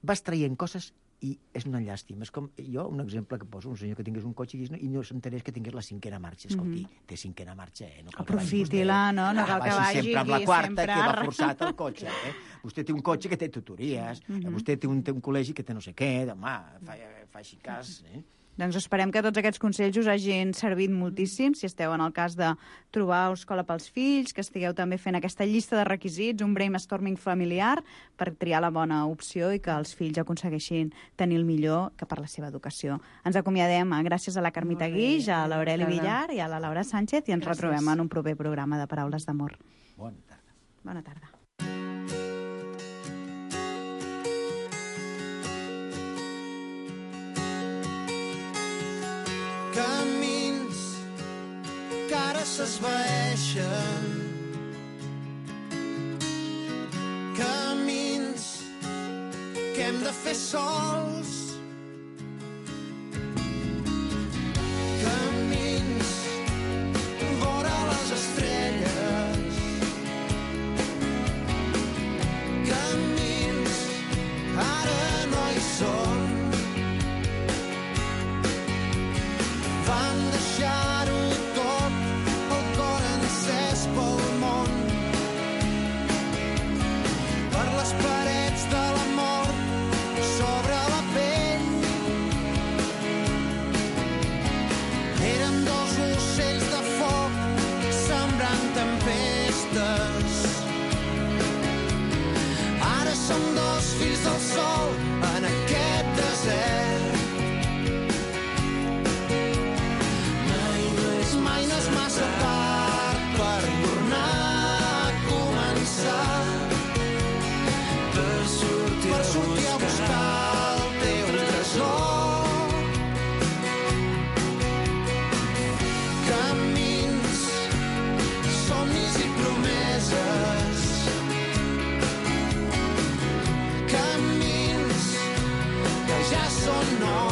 Vas traient coses i és una llàstima. És com jo, un exemple que poso, un senyor que tingués un cotxe i, i no s'enterés que tingués la cinquena marxa. Escolti, mm -hmm. té cinquena marxa, eh? No cal que vagi Aprofiti-la, vostè. no? No cal que vagi sempre amb la aquí, quarta, sempre que va arra- forçat el cotxe, eh? Vostè té un cotxe que té tutories, mm -hmm. vostè té un, té un col·legi que té no sé què, home, fa, fa així cas, eh? Doncs esperem que tots aquests consells us hagin servit moltíssim, si esteu en el cas de trobar escola pels fills, que estigueu també fent aquesta llista de requisits, un brainstorming familiar per triar la bona opció i que els fills aconsegueixin tenir el millor que per la seva educació. Ens acomiadem gràcies a la Carmita Guix, a l'Aureli Villar i a la Laura Sánchez i ens Gràcies. retrobem en un proper programa de Paraules d'Amor. Bona tarda. Bona tarda. serveixen. Camins que hem de fer sols. Camins vora les estrelles. Camins ara no hi són. Van deixar-ho tot, el cor encès pel món. Per les parets de l'amor, sobre la pell. Érem dos ocells de foc, sembrant tempestes. Ara som dos fills del sol en aquest desert. Mai no és massa tard per tornar a començar, per sortir, per sortir a buscar el teu tresor. Camins, somnis i promeses. Camins que ja són nous.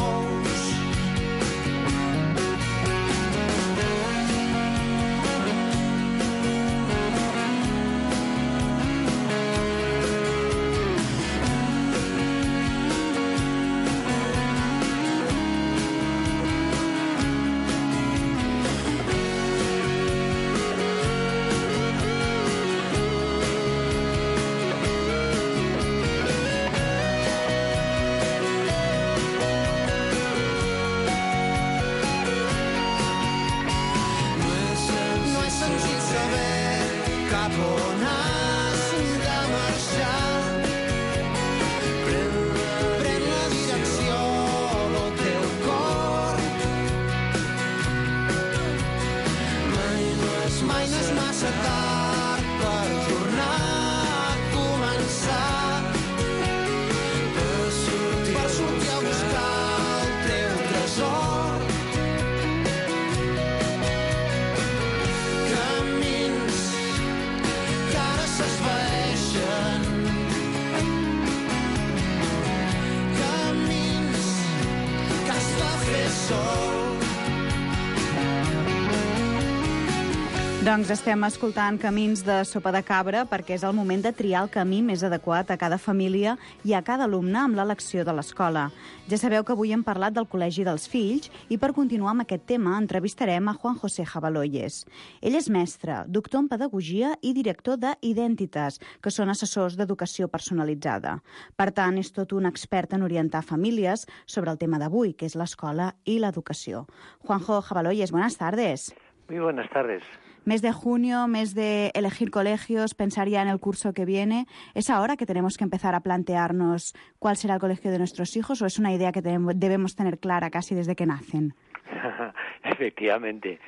Doncs estem escoltant Camins de Sopa de Cabra perquè és el moment de triar el camí més adequat a cada família i a cada alumne amb l'elecció de l'escola. Ja sabeu que avui hem parlat del Col·legi dels Fills i per continuar amb aquest tema entrevistarem a Juan José Jabaloyes. Ell és mestre, doctor en pedagogia i director de Identitas, que són assessors d'educació personalitzada. Per tant, és tot un expert en orientar famílies sobre el tema d'avui, que és l'escola i l'educació. Juanjo Jabaloyes, buenas tardes. Muy buenas tardes. Mes de junio, mes de elegir colegios, pensar ya en el curso que viene. ¿Es ahora que tenemos que empezar a plantearnos cuál será el colegio de nuestros hijos o es una idea que debemos tener clara casi desde que nacen? Efectivamente.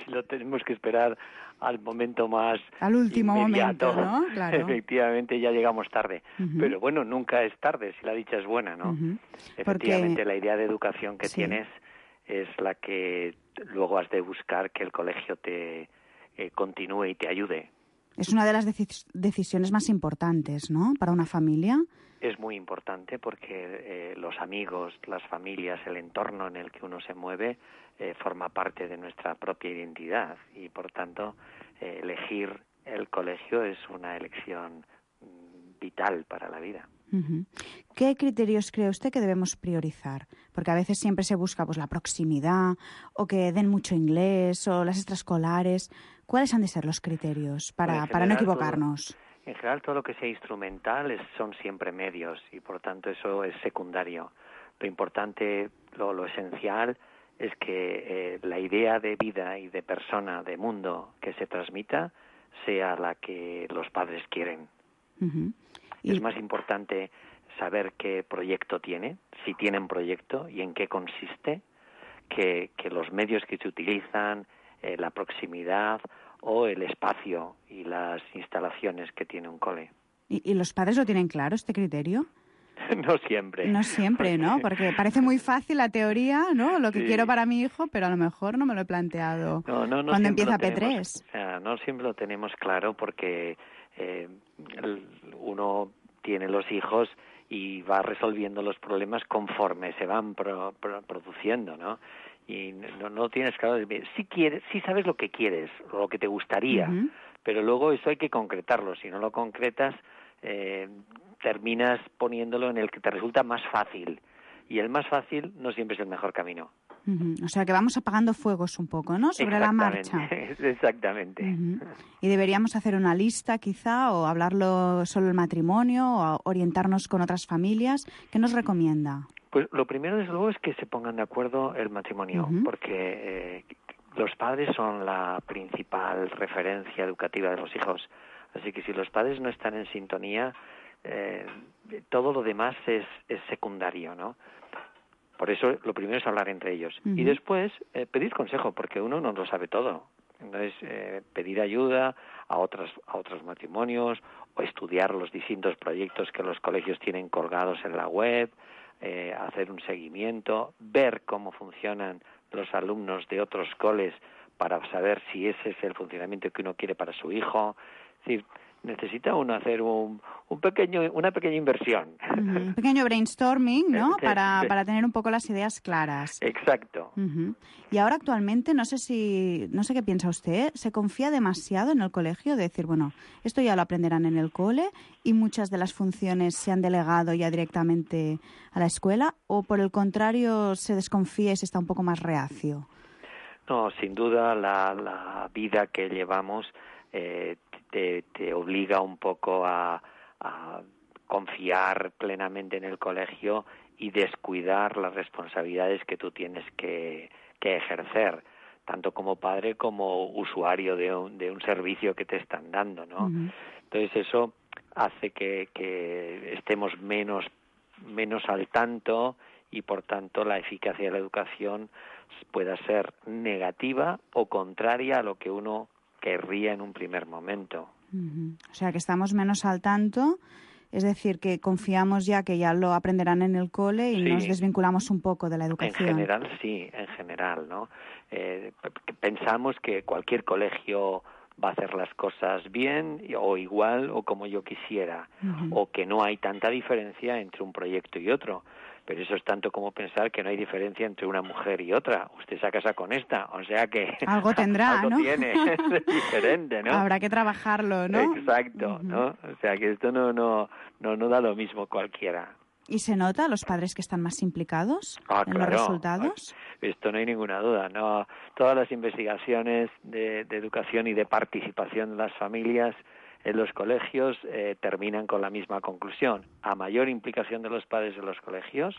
Si lo tenemos que esperar al momento más al último inmediato, momento, ¿no? Claro. Efectivamente ya llegamos tarde. Uh-huh. Pero bueno, nunca es tarde si la dicha es buena, ¿no? Uh-huh. Efectivamente, porque la idea de educación que sí. tienes es la que luego has de buscar que el colegio te eh, continúe y te ayude. Es una de las decis- decisiones más importantes, ¿no?, para una familia. Es muy importante porque eh, los amigos, las familias, el entorno en el que uno se mueve eh, forma parte de nuestra propia identidad y, por tanto, eh, elegir el colegio es una elección mm, vital para la vida. Uh-huh. ¿Qué criterios cree usted que debemos priorizar? Porque a veces siempre se busca pues la proximidad o que den mucho inglés o las extraescolares. ¿Cuáles han de ser los criterios para, bueno, para no equivocarnos? Todo, en general, todo lo que sea instrumental es, son siempre medios y, por tanto, eso es secundario. Lo importante, lo, lo esencial es que eh, la idea de vida y de persona, de mundo que se transmita sea la que los padres quieren. Uh-huh. Es más importante saber qué proyecto tiene, si tienen proyecto y en qué consiste, que, que los medios que se utilizan, eh, la proximidad o el espacio y las instalaciones que tiene un cole. ¿Y, y los padres lo tienen claro, este criterio? No siempre. No siempre, ¿no? Porque parece muy fácil la teoría, ¿no? Lo que Sí. quiero para mi hijo, pero a lo mejor no me lo he planteado No, no, no cuando siempre empieza lo P tenemos- tres. O sea, no siempre lo tenemos claro porque eh, el- uno tiene los hijos y va resolviendo los problemas conforme se van pro- pro- produciendo, ¿no? Y no, no tienes claro, sí quieres, sí sabes lo que quieres, lo que te gustaría, Ujú. pero luego eso hay que concretarlo. Si no lo concretas, eh, terminas poniéndolo en el que te resulta más fácil. Y el más fácil no siempre es el mejor camino. Ujú. O sea que vamos apagando fuegos un poco, ¿no? Sobre la marcha. Exactamente, exactamente. Ujú. Y deberíamos hacer una lista quizá o hablarlo solo el matrimonio o orientarnos con otras familias. ¿Qué nos recomienda? Pues lo primero, desde luego, es que se pongan de acuerdo el matrimonio, Ujú. porque eh, los padres son la principal referencia educativa de los hijos. Así que si los padres no están en sintonía, eh, todo lo demás es, es secundario, ¿no? Por eso lo primero es hablar entre ellos. Ujú. Y después eh, pedir consejo, porque uno no lo sabe todo. Entonces, eh, pedir ayuda a otras, a otros matrimonios o estudiar los distintos proyectos que los colegios tienen colgados en la web, eh, hacer un seguimiento, ver cómo funcionan los alumnos de otros coles para saber si ese es el funcionamiento que uno quiere para su hijo. Es decir, necesita uno hacer un, un pequeño, una pequeña inversión. Ujú. Un pequeño brainstorming, ¿no? Sí, Para, sí. para tener un poco las ideas claras. Exacto. Ujú. Y ahora actualmente, no sé si, no sé qué piensa usted, ¿se confía demasiado en el colegio? De decir, bueno, esto ya lo aprenderán en el cole y muchas de las funciones se han delegado ya directamente a la escuela, o por el contrario se desconfía y se está un poco más reacio. No, sin duda la, la vida que llevamos eh, te, te obliga un poco a, a confiar plenamente en el colegio y descuidar las responsabilidades que tú tienes que, que ejercer, tanto como padre como usuario de un, de un servicio que te están dando, ¿no? Ujú. Entonces eso hace que, que estemos menos, menos al tanto y por tanto la eficacia de la educación pueda ser negativa o contraria a lo que uno querría en un primer momento. Ujú. O sea, que estamos menos al tanto, es decir, que confiamos ya que ya lo aprenderán en el cole y Sí. nos desvinculamos un poco de la En educación. general, sí, en general, ¿no? Eh, p- pensamos que cualquier colegio va a hacer las cosas bien y- o igual o como yo quisiera, Ujú. o que no hay tanta diferencia entre un proyecto y otro. Pero eso es tanto como pensar que no hay diferencia entre una mujer y otra. Usted se casa con esta, o sea que Algo tendrá, algo ¿no? tiene, es diferente, ¿no? Habrá que trabajarlo, ¿no? Exacto, ¿no? O sea que esto no no no no da lo mismo cualquiera. ¿Y se nota los padres que están más implicados Ah, en claro. los resultados? Esto no hay ninguna duda, no. Todas las investigaciones de, de educación y de participación de las familias en los colegios eh, terminan con la misma conclusión. A mayor implicación de los padres en los colegios,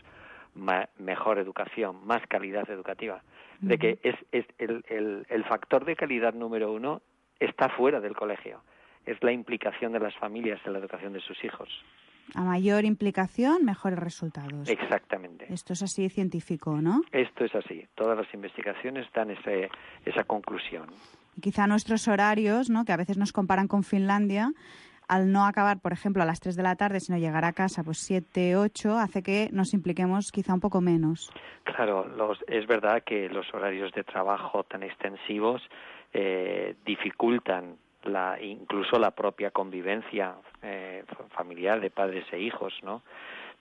ma- mejor educación, más calidad educativa. De que es, es el, el, el factor de calidad número uno está fuera del colegio. Es la implicación de las familias en la educación de sus hijos. A mayor implicación, mejores resultados. Exactamente. Esto es así científico, ¿no? Esto es así. Todas las investigaciones dan ese, esa conclusión. Y quizá nuestros horarios, ¿no? Que a veces nos comparan con Finlandia, al no acabar, por ejemplo, a las tres de la tarde, sino llegar a casa pues siete, ocho, hace que nos impliquemos quizá un poco menos. Claro, los, es verdad que los horarios de trabajo tan extensivos eh, dificultan la, incluso la propia convivencia eh, familiar de padres e hijos, ¿no?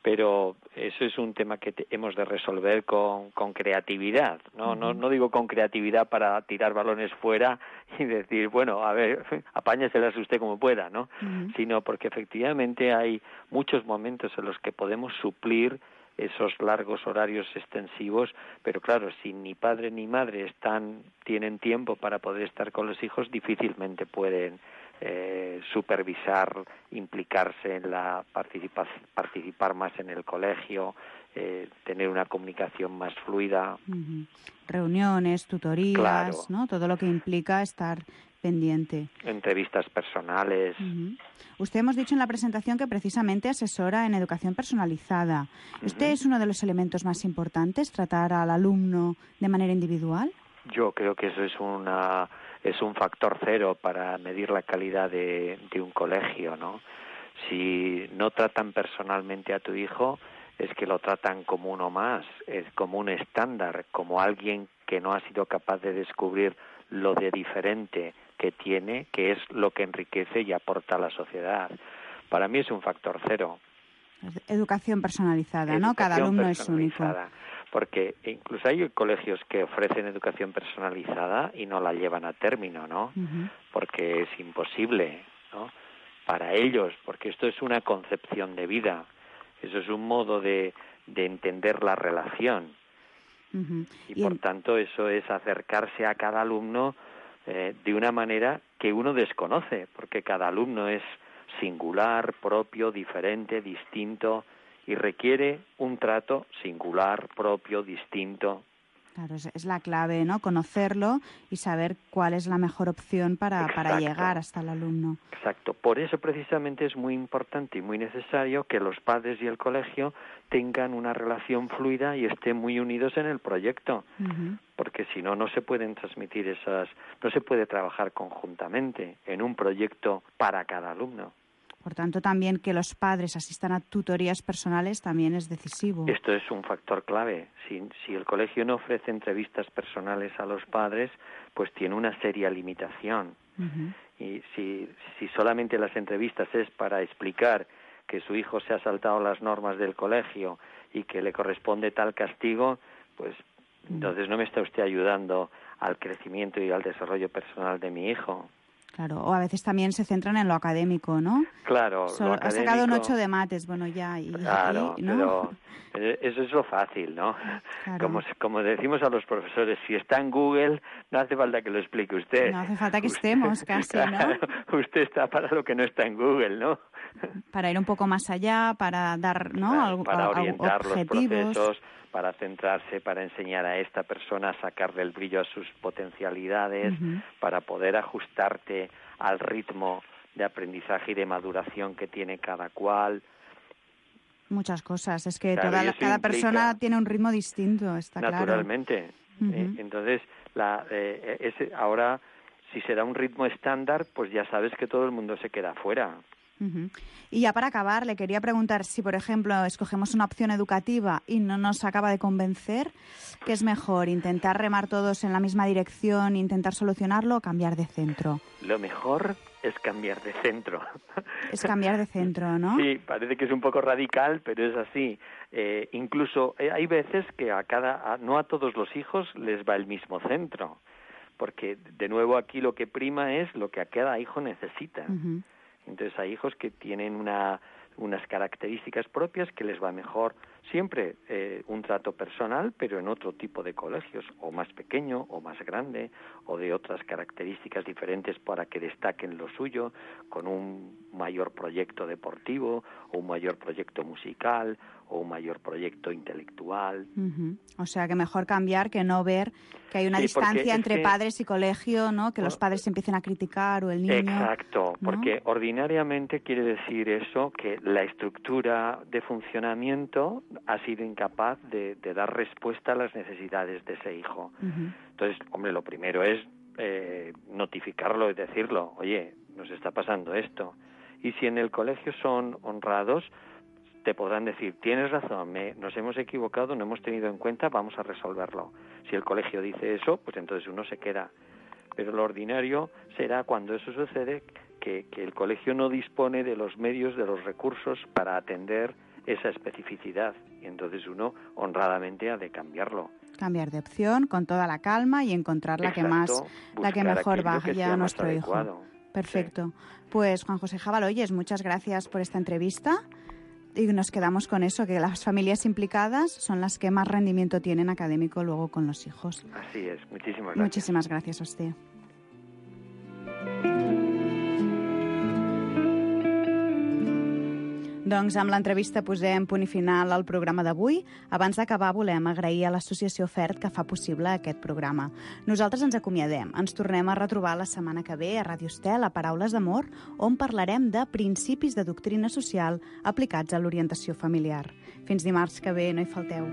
Pero eso es un tema que te, hemos de resolver con, con creatividad, ¿no? Uh-huh. No, no digo con creatividad para tirar balones fuera y decir, bueno, a ver, apáñeselas usted como pueda, ¿no? Uh-huh. Sino porque efectivamente hay muchos momentos en los que podemos suplir esos largos horarios extensivos, pero claro, si ni padre ni madre están, tienen tiempo para poder estar con los hijos, difícilmente pueden eh, supervisar, implicarse en la participa- participar más en el colegio, eh, tener una comunicación más fluida. Uh-huh. Reuniones, tutorías, claro. ¿no? Todo lo que implica estar pendiente. Entrevistas personales. Uh-huh. Usted hemos dicho en la presentación que precisamente asesora en educación personalizada. ¿Usted uh-huh. es uno de los elementos más importantes, tratar al alumno de manera individual? Yo creo que eso es una es un factor cero para medir la calidad de, de un colegio, ¿no? Si no tratan personalmente a tu hijo, es que lo tratan como uno más, es como un estándar, como alguien que no ha sido capaz de descubrir lo de diferente que tiene, que es lo que enriquece y aporta a la sociedad. Para mí es un factor cero. Educación personalizada, ¿no? Educación Cada alumno es único. Porque incluso hay colegios que ofrecen educación personalizada y no la llevan a término, ¿no? Uh-huh. Porque es imposible, ¿no? Para ellos, porque esto es una concepción de vida. Eso es un modo de, de entender la relación. Uh-huh. Y, y por el... tanto eso es acercarse a cada alumno eh, de una manera que uno desconoce, porque cada alumno es singular, propio, diferente, distinto, y requiere un trato singular, propio, distinto. Claro, es la clave, ¿no? Conocerlo y saber cuál es la mejor opción para, para llegar hasta el alumno. Exacto. Por eso precisamente es muy importante y muy necesario que los padres y el colegio tengan una relación fluida y estén muy unidos en el proyecto. Uh-huh. Porque si no, no se pueden transmitir esas, no se puede trabajar conjuntamente en un proyecto para cada alumno. Por tanto, también que los padres asistan a tutorías personales también es decisivo. Esto es un factor clave. Si, si el colegio no ofrece entrevistas personales a los padres, pues tiene una seria limitación. Uh-huh. Y si, si solamente las entrevistas es para explicar que su hijo se ha saltado las normas del colegio y que le corresponde tal castigo, pues uh-huh. entonces no me está usted ayudando al crecimiento y al desarrollo personal de mi hijo. Claro, o a veces también se centran en lo académico, ¿no? Claro, Solo, lo académico... Ha sacado un ocho de mates, bueno, ya... Y, claro, y, ¿no? pero eso es lo fácil, ¿no? Claro. Como, como decimos a los profesores, si está en Google, no hace falta que lo explique usted. No hace falta que usted, estemos casi, claro, ¿no? Usted está para lo que no está en Google, ¿no? Para ir un poco más allá, para dar, ¿no? Claro, Algo, para orientar objetivos. Los procesos, para centrarse, para enseñar a esta persona a sacarle el brillo a sus potencialidades, uh-huh. para poder ajustarte al ritmo de aprendizaje y de maduración que tiene cada cual. Muchas cosas. Es que claro, toda la, cada implica, persona tiene un ritmo distinto, está naturalmente. claro. Naturalmente. Uh-huh. Eh, entonces, la, eh, ese, ahora, si se da un ritmo estándar, pues ya sabes que todo el mundo se queda fuera. Uh-huh. Y ya para acabar, le quería preguntar si, por ejemplo, escogemos una opción educativa y no nos acaba de convencer, ¿qué es mejor? ¿Intentar remar todos en la misma dirección, intentar solucionarlo o cambiar de centro? Lo mejor es cambiar de centro. Es cambiar de centro, ¿no? Sí, parece que es un poco radical, pero es así. Eh, incluso eh, hay veces que a cada, a, no a todos los hijos les va el mismo centro, porque de nuevo aquí lo que prima es lo que a cada hijo necesita. Uh-huh. Entonces hay hijos que tienen una, unas características propias que les va mejor siempre eh, un trato personal, pero en otro tipo de colegios, o más pequeño, o más grande, o de otras características diferentes para que destaquen lo suyo, con un mayor proyecto deportivo, o un mayor proyecto musical, o un mayor proyecto intelectual. Uh-huh. O sea, que mejor cambiar que no ver que hay una sí, distancia entre que... padres y colegio, ¿no? Que los padres se empiecen a criticar o el niño... Exacto, ¿no? Porque ordinariamente quiere decir eso, que la estructura de funcionamiento ha sido incapaz de, de dar respuesta a las necesidades de ese hijo. Uh-huh. Entonces, hombre, lo primero es eh, notificarlo y decirlo, oye, nos está pasando esto. Y si en el colegio son honrados, te podrán decir, tienes razón, me, nos hemos equivocado, no hemos tenido en cuenta, vamos a resolverlo. Si el colegio dice eso, pues entonces uno se queda. Pero lo ordinario será cuando eso sucede, que, que el colegio no dispone de los medios, de los recursos para atender esa especificidad. Y entonces uno honradamente ha de cambiarlo. Cambiar de opción con toda la calma y encontrar la Exacto, que más, la que mejor vaya a nuestro hijo. Perfecto. Sí. Pues Juan José Jabaloyes, muchas gracias por esta entrevista. Y nos quedamos con eso, que las familias implicadas son las que más rendimiento tienen académico luego con los hijos. Así es, muchísimas gracias. Muchísimas gracias a usted. Doncs amb l'entrevista posem punt i final al programa d'avui. Abans d'acabar volem agrair a l'associació FERT que fa possible aquest programa. Nosaltres ens acomiadem. Ens tornem a retrobar la setmana que ve a Ràdio Estel, a Paraules d'Amor, on parlarem de principis de doctrina social aplicats a l'orientació familiar. Fins dimarts que ve, no hi falteu.